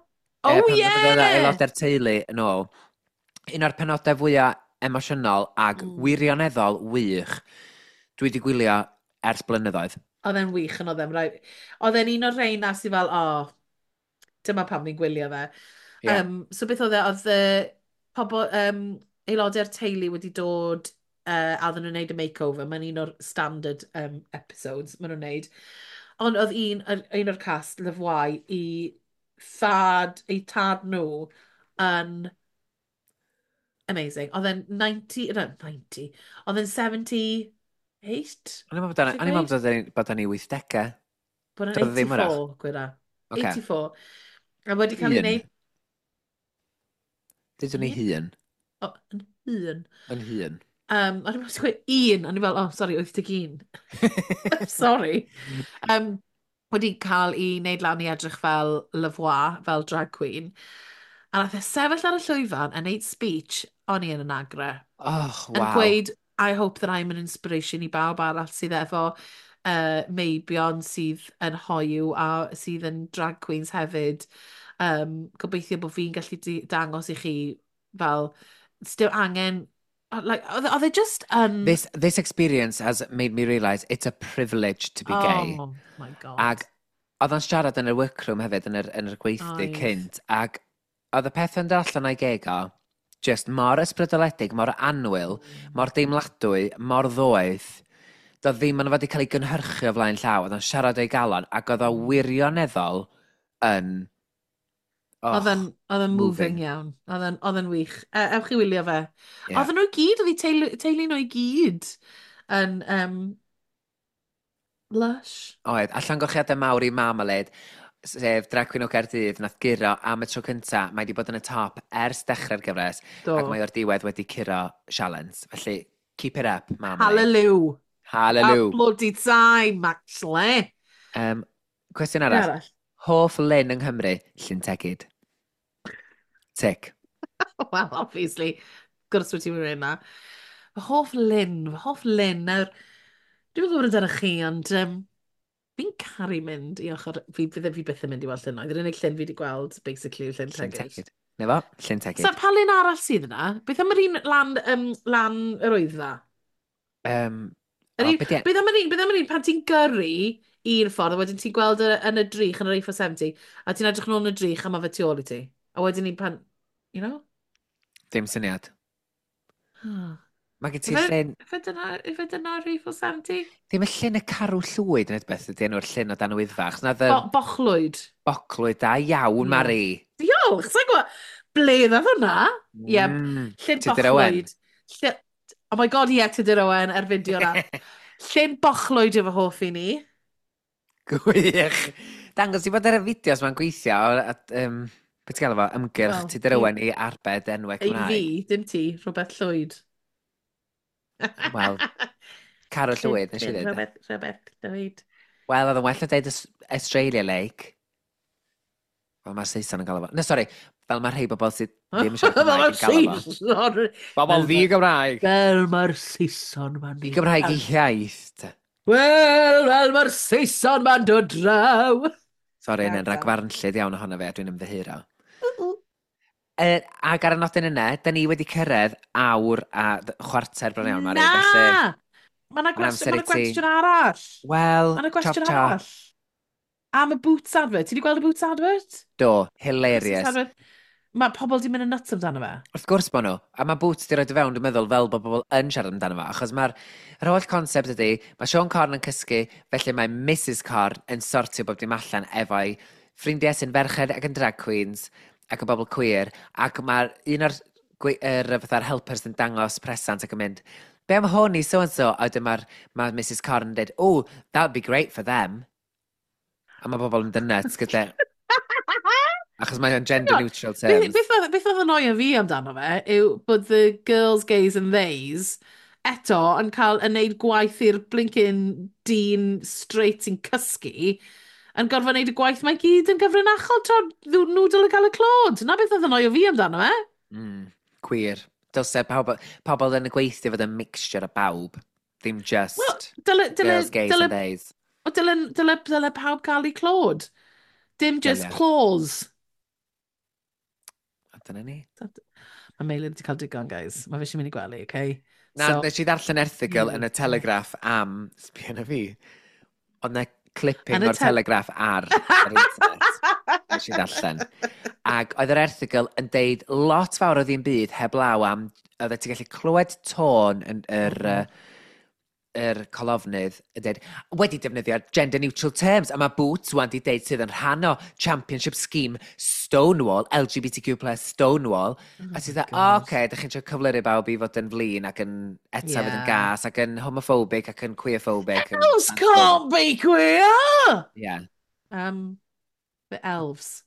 Oh, Pan ddigwyddodd yeah! aelodau'r teulu yn ôl. Un o'r penodau fwyaf emosiynol ag wirioneddol wych dwi wedi gwylio ers blynyddoedd. Oedd e'n wych yn oedd e'n rhaid. Oedd e'n un o'r rheina sydd fel, oh, dyma pam fi'n gwylio fe. Yeah. So beth oedd e, oedd pobl, aelodau'r teulu wedi dod a oedden nhw'n neud y makeover. Mae'n un o'r standard episodes maen nhw'n neud. Ond oedd un o'r cast, Lavoie, ei tad nhw yn amazing. Oedd e'n 90, no, 90, oedd e'n 78? O'n i'n meddwl bod o'n i'n meddwl bod o'n i 80au. Bod yn Doedd o ddim wrach. 84, gwira. Ocê. 84. A wedi cael ei Hŷn. wneud. Dydyn ni Hŷn? hun. O, yn hŷn. Yn hŷn. O'n i'n meddwl gweud un, o'n i'n fel, oh, sorry, 81. Sorry. Wedi cael ei wneud lan i edrych fel Lavoie, fel drag queen. A nath e sefyll ar y llwyfan a wneud speech, o'n i yn y nagre. Oh, Yn waw. gweud, "I hope that I'm an inspiration" i bawb arall sydd efo meibion sydd yn hoyw a sydd yn drag queens hefyd. Gobeithio bod fi'n gallu dangos i chi fel, still angen, like, oedd e just yn. This experience has made me realise it's a privilege to be gay." Oh my God. Ag oedd o'n siarad yn y workroom hefyd, yn yr gweithdy Oedd. cynt, ag oedd y peth yn dod allan o'i geg o, just mor ysbrydoledig, mor annwyl, mor deimladwy, mor ddoeth. Doedd ddim yn fod i cael ei gynhyrchu o flaen llaw, oedd o'n siarad o'i galon, ac oedd o wirioneddol yn. Oh, Oedd yn moving moving. iawn. Oedd yn wych. Ewch i wylio fe. Yeah. Oedden nhw i gyd, oedd eu teulu nhw i gyd yn lush. Oedd, a llongyfarchiadau mawr i Marmalade, sef drag queen o Gaerdydd, nath guro am y tro cynta. Mae wedi bod yn y top ers dechrau'r gyfres, Do. ac mae o'r diwedd wedi curo sialens. Felly, keep it up, Marmalade. Hallelujah. Hallelujah. A bloody time, actually. Cwestiwn arall. Arall. Hoff lyn yng Nghymru, Llyn Tegid. Tick. Well, obviously, gwrs wyt ti'n mynd yna. Fy hoff lyn, fy hoff lyn. Nawr, dwi'n gwybod amdano chi, ond fi'n caru mynd i ochr. Fi byth yn mynd i weld llynnoedd. Yr unig llyn fi wedi gweld, basically, yw Llyn Llyn Tegid. Tegid. Ne fo? Llyn Tegid. So, pa lyn arall sydd yna? Beth am yr un lan yr Wyddfa? O, Yr un, be di beth am yr un pan ti'n gyrru un ffordd, a wedyn ti'n gweld yn y drych yn yr A470, a ti'n edrych nôl yn y drych a mae fe tu ôl i ti. A wedyn ni pan, you know? Dim syniad. Mae gen ti Ife, llyn. ife dyna'r A470? Ddim y llyn y Carw Llwyd yn beth ydy enw'r llyn o dan Wyddfa. Achos nath y Bochlwyd. Boclwyd, da iawn, Ie. Mari. Diolch, sa'n gwybod ble ddath hwnna? Ie, Llyn Tudur Owen. Bochlwyd. Oh my God, ie, Tudur Owen, ar fideo na. Llyn Bochlwyd yw fy hoff i ni. Gwych. Dangos i bod ar y fideos ma'n gweithio, beth ti'n galw fo, ymgyrch Wel, Tudur Owen i arbed enwau I Cymraeg. fi, dim ti, rhywbeth llwyd. Wel, Carw Llwyd, nes i Llyn ddweud. Rhywbeth llwyd. Wel, oedd yn well na deud Australia Lake. Fel mae'r Saeson yn galw fo. No, sorry, fel mae rhai bobl sydd ddim yn siarad Fel Cymraeg mae'r yn galw fo. Saeson. Bobl ddi-Gymraeg. Fel mae'r Saeson ma'n Di Gymraeg i iaith. Wel, fel mae'r Saeson ma'n dod draw. Sorry, yna'n Iawn, ragfarnllyd iawn ohono fe, a dwi'n ymddiheuro. Ac ar y nodyn yna, da ni wedi cyrraedd awr a chwarter bron iawn, Mari. Na! Felly, Mae yna Mae'n gwestiwn, amser ma' i ti. gwestiwn arall. Wel, Mae yna chop gwestiwn chop. arall. Am y Boots advert. Ti wedi gweld y Boots advert? Do, hilarious. Advert. Mae pobl di mynd yn nuts amdano fe. Wrth gwrs bod nhw. A mae Boots di roed i fewn, dwi'n meddwl, fel bod pobl yn siarad amdano fo. Achos mae'r yr holl concept ydy, mae Siôn Corn yn cysgu, felly mae Mrs Corn yn sortio bob dim allan efo'i ffrindiau sy'n ferched ac yn drag queens ac yn bobl queer. Ac mae'r un o'r fatha'r helpers yn dangos presant ac yn mynd, be am hwn i so-and-so? A wedyn mae Mrs Corn yn dweud, oh, that would be great for them. A mae bobl yn mynd yn nuts gyda... Achos mae o'n gender neutral terms. Beth oedd annoio fi amdano fe yw bod the girls, gays and theys eto yn cael yn neud gwaith i'r blinking dyn straight sy'n cysgu yn gorfod neud y gwaith mae gyd yn gyfrinachol tra nhw dyle cael y clod. Na beth oedd annoio fi amdano fe. Queer. Dylse pobl yn y gweithio fod yn mixture o bawb. Ddim just well, dyle, girls, gays and theys. Dyle pawb cael eu clod. Dim just claws. A dyna ni. Mae Meilir wedi cael digon, guys. Mae fe eisiau mynd i gwely, okay? Na, so, nes i ddarllen erthygl yn y Telegraph am, sbio na fi, oedd na clipping o'r Telegraph ar yr internet. Nes i ddarllen. Ac oedd yr erthygl yn deud lot fawr o ddim byd heblaw am, oedd ti'n gallu clywed tôn yn yr... yr colofnydd yn dweud, wedi defnyddio gender neutral terms, a mae Boots wan di deud sydd yn rhan o Championship Scheme Stonewall, LGBTQ plus Stonewall, Oh a ti'n dweud, o, oce, dych chi'n trio cyflyru bawb i fod yn flin ac yn eto fod yn gas ac yn homophobic ac yn queerphobic. Elves can't be queer! Yeah. The elves.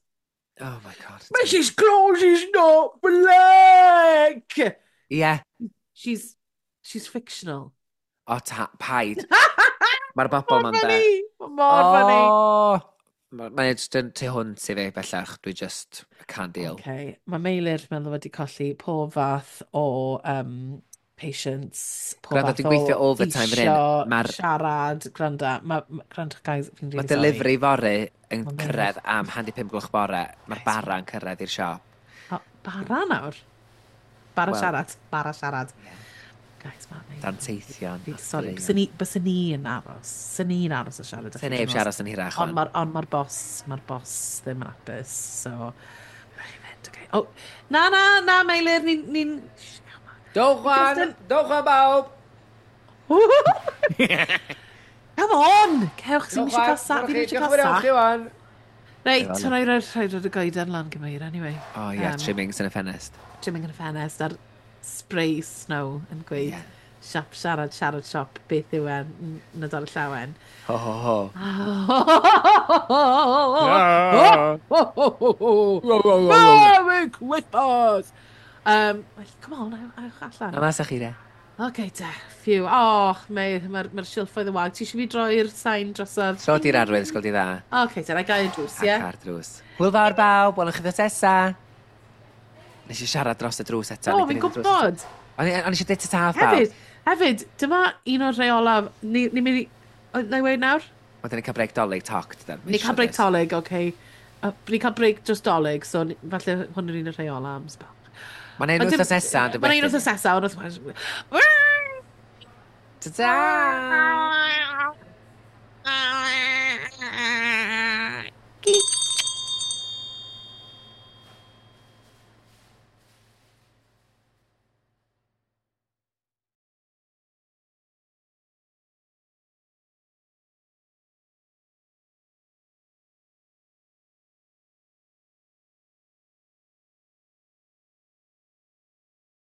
Oh my God. Mrs Claus is not black! Yeah. She's fictional. O, paid. Mae'r bobl ma'n da. Mor funny. Mae'n just yn tu hwnt i fi bellach. Dwi just, I can't deal. Okay. Mae Meilir, meddwl, wedi colli pob fath o patience, pob Gwrando, fath dwi'n gweithio o overtime fan hyn. isio siarad. Gwrando, gwrando, guys, fi'n really Mae delivery fory yn Mae Meilir. cyrraedd am 4:30 gloch bore. Mae'r bara yn cyrraedd i'r siop. O, bara nawr? Bara Wel. siarad. Bara siarad. Guys, mae Meilir. Danteithion. Sorry, byswn ni'n aros. Byswn ni'n aros a siarad. Sy'n neb siarad yn hirach. Ond mae'r boss, ddim yn hapus, so... Rhaid i fynd, okay. Oh, na, Meilir, ni'n... Dowch wan! Dowch wan bawb! Come on! Cewch, sy'n eisiau cael sac, fi'n eisiau cael sac. wan! Reit, hwnna i roi'r y goeden lan Gymreig, anyway. Oh ie, trimmings yn y ffenest. Trimming yn y ffenest a'r spray snow yn gweud. Yeah. Siap, siarad, siarad siop, beth yw e, Nadolig Llawen. Ho, ho, ho. Merry Christmas! Well, come on, ewch allan. A mas â chi de. OK, de, phew. Oh, mae'r silffoedd yn wag. Ti eisiau fi droi'r sain drosodd? Tro di'r arwydd, ysgol di dda. OK, de, na gael y drws, ie? Ac ar drws. Hwyl fawr bawb, welwch chi ddod nesa. Nes i siarad dros y drws eto. O, fi'n gwybod. O'n i eisiau deud ta bawb. Hefyd, dyma un o'r rhai olaf. Ni'n mynd i... Na i weud nawr? Wedyn ni'n cael break dolyg toc, dydan. Ni'n cael break dolyg, oce. Ni'n cael break dros dolyg, so falle hwn yw'r un o'r rhai olaf am sbel. Mae'n un wythnos nesa, Mae'n un wythnos nesa, ond... Ta-ta!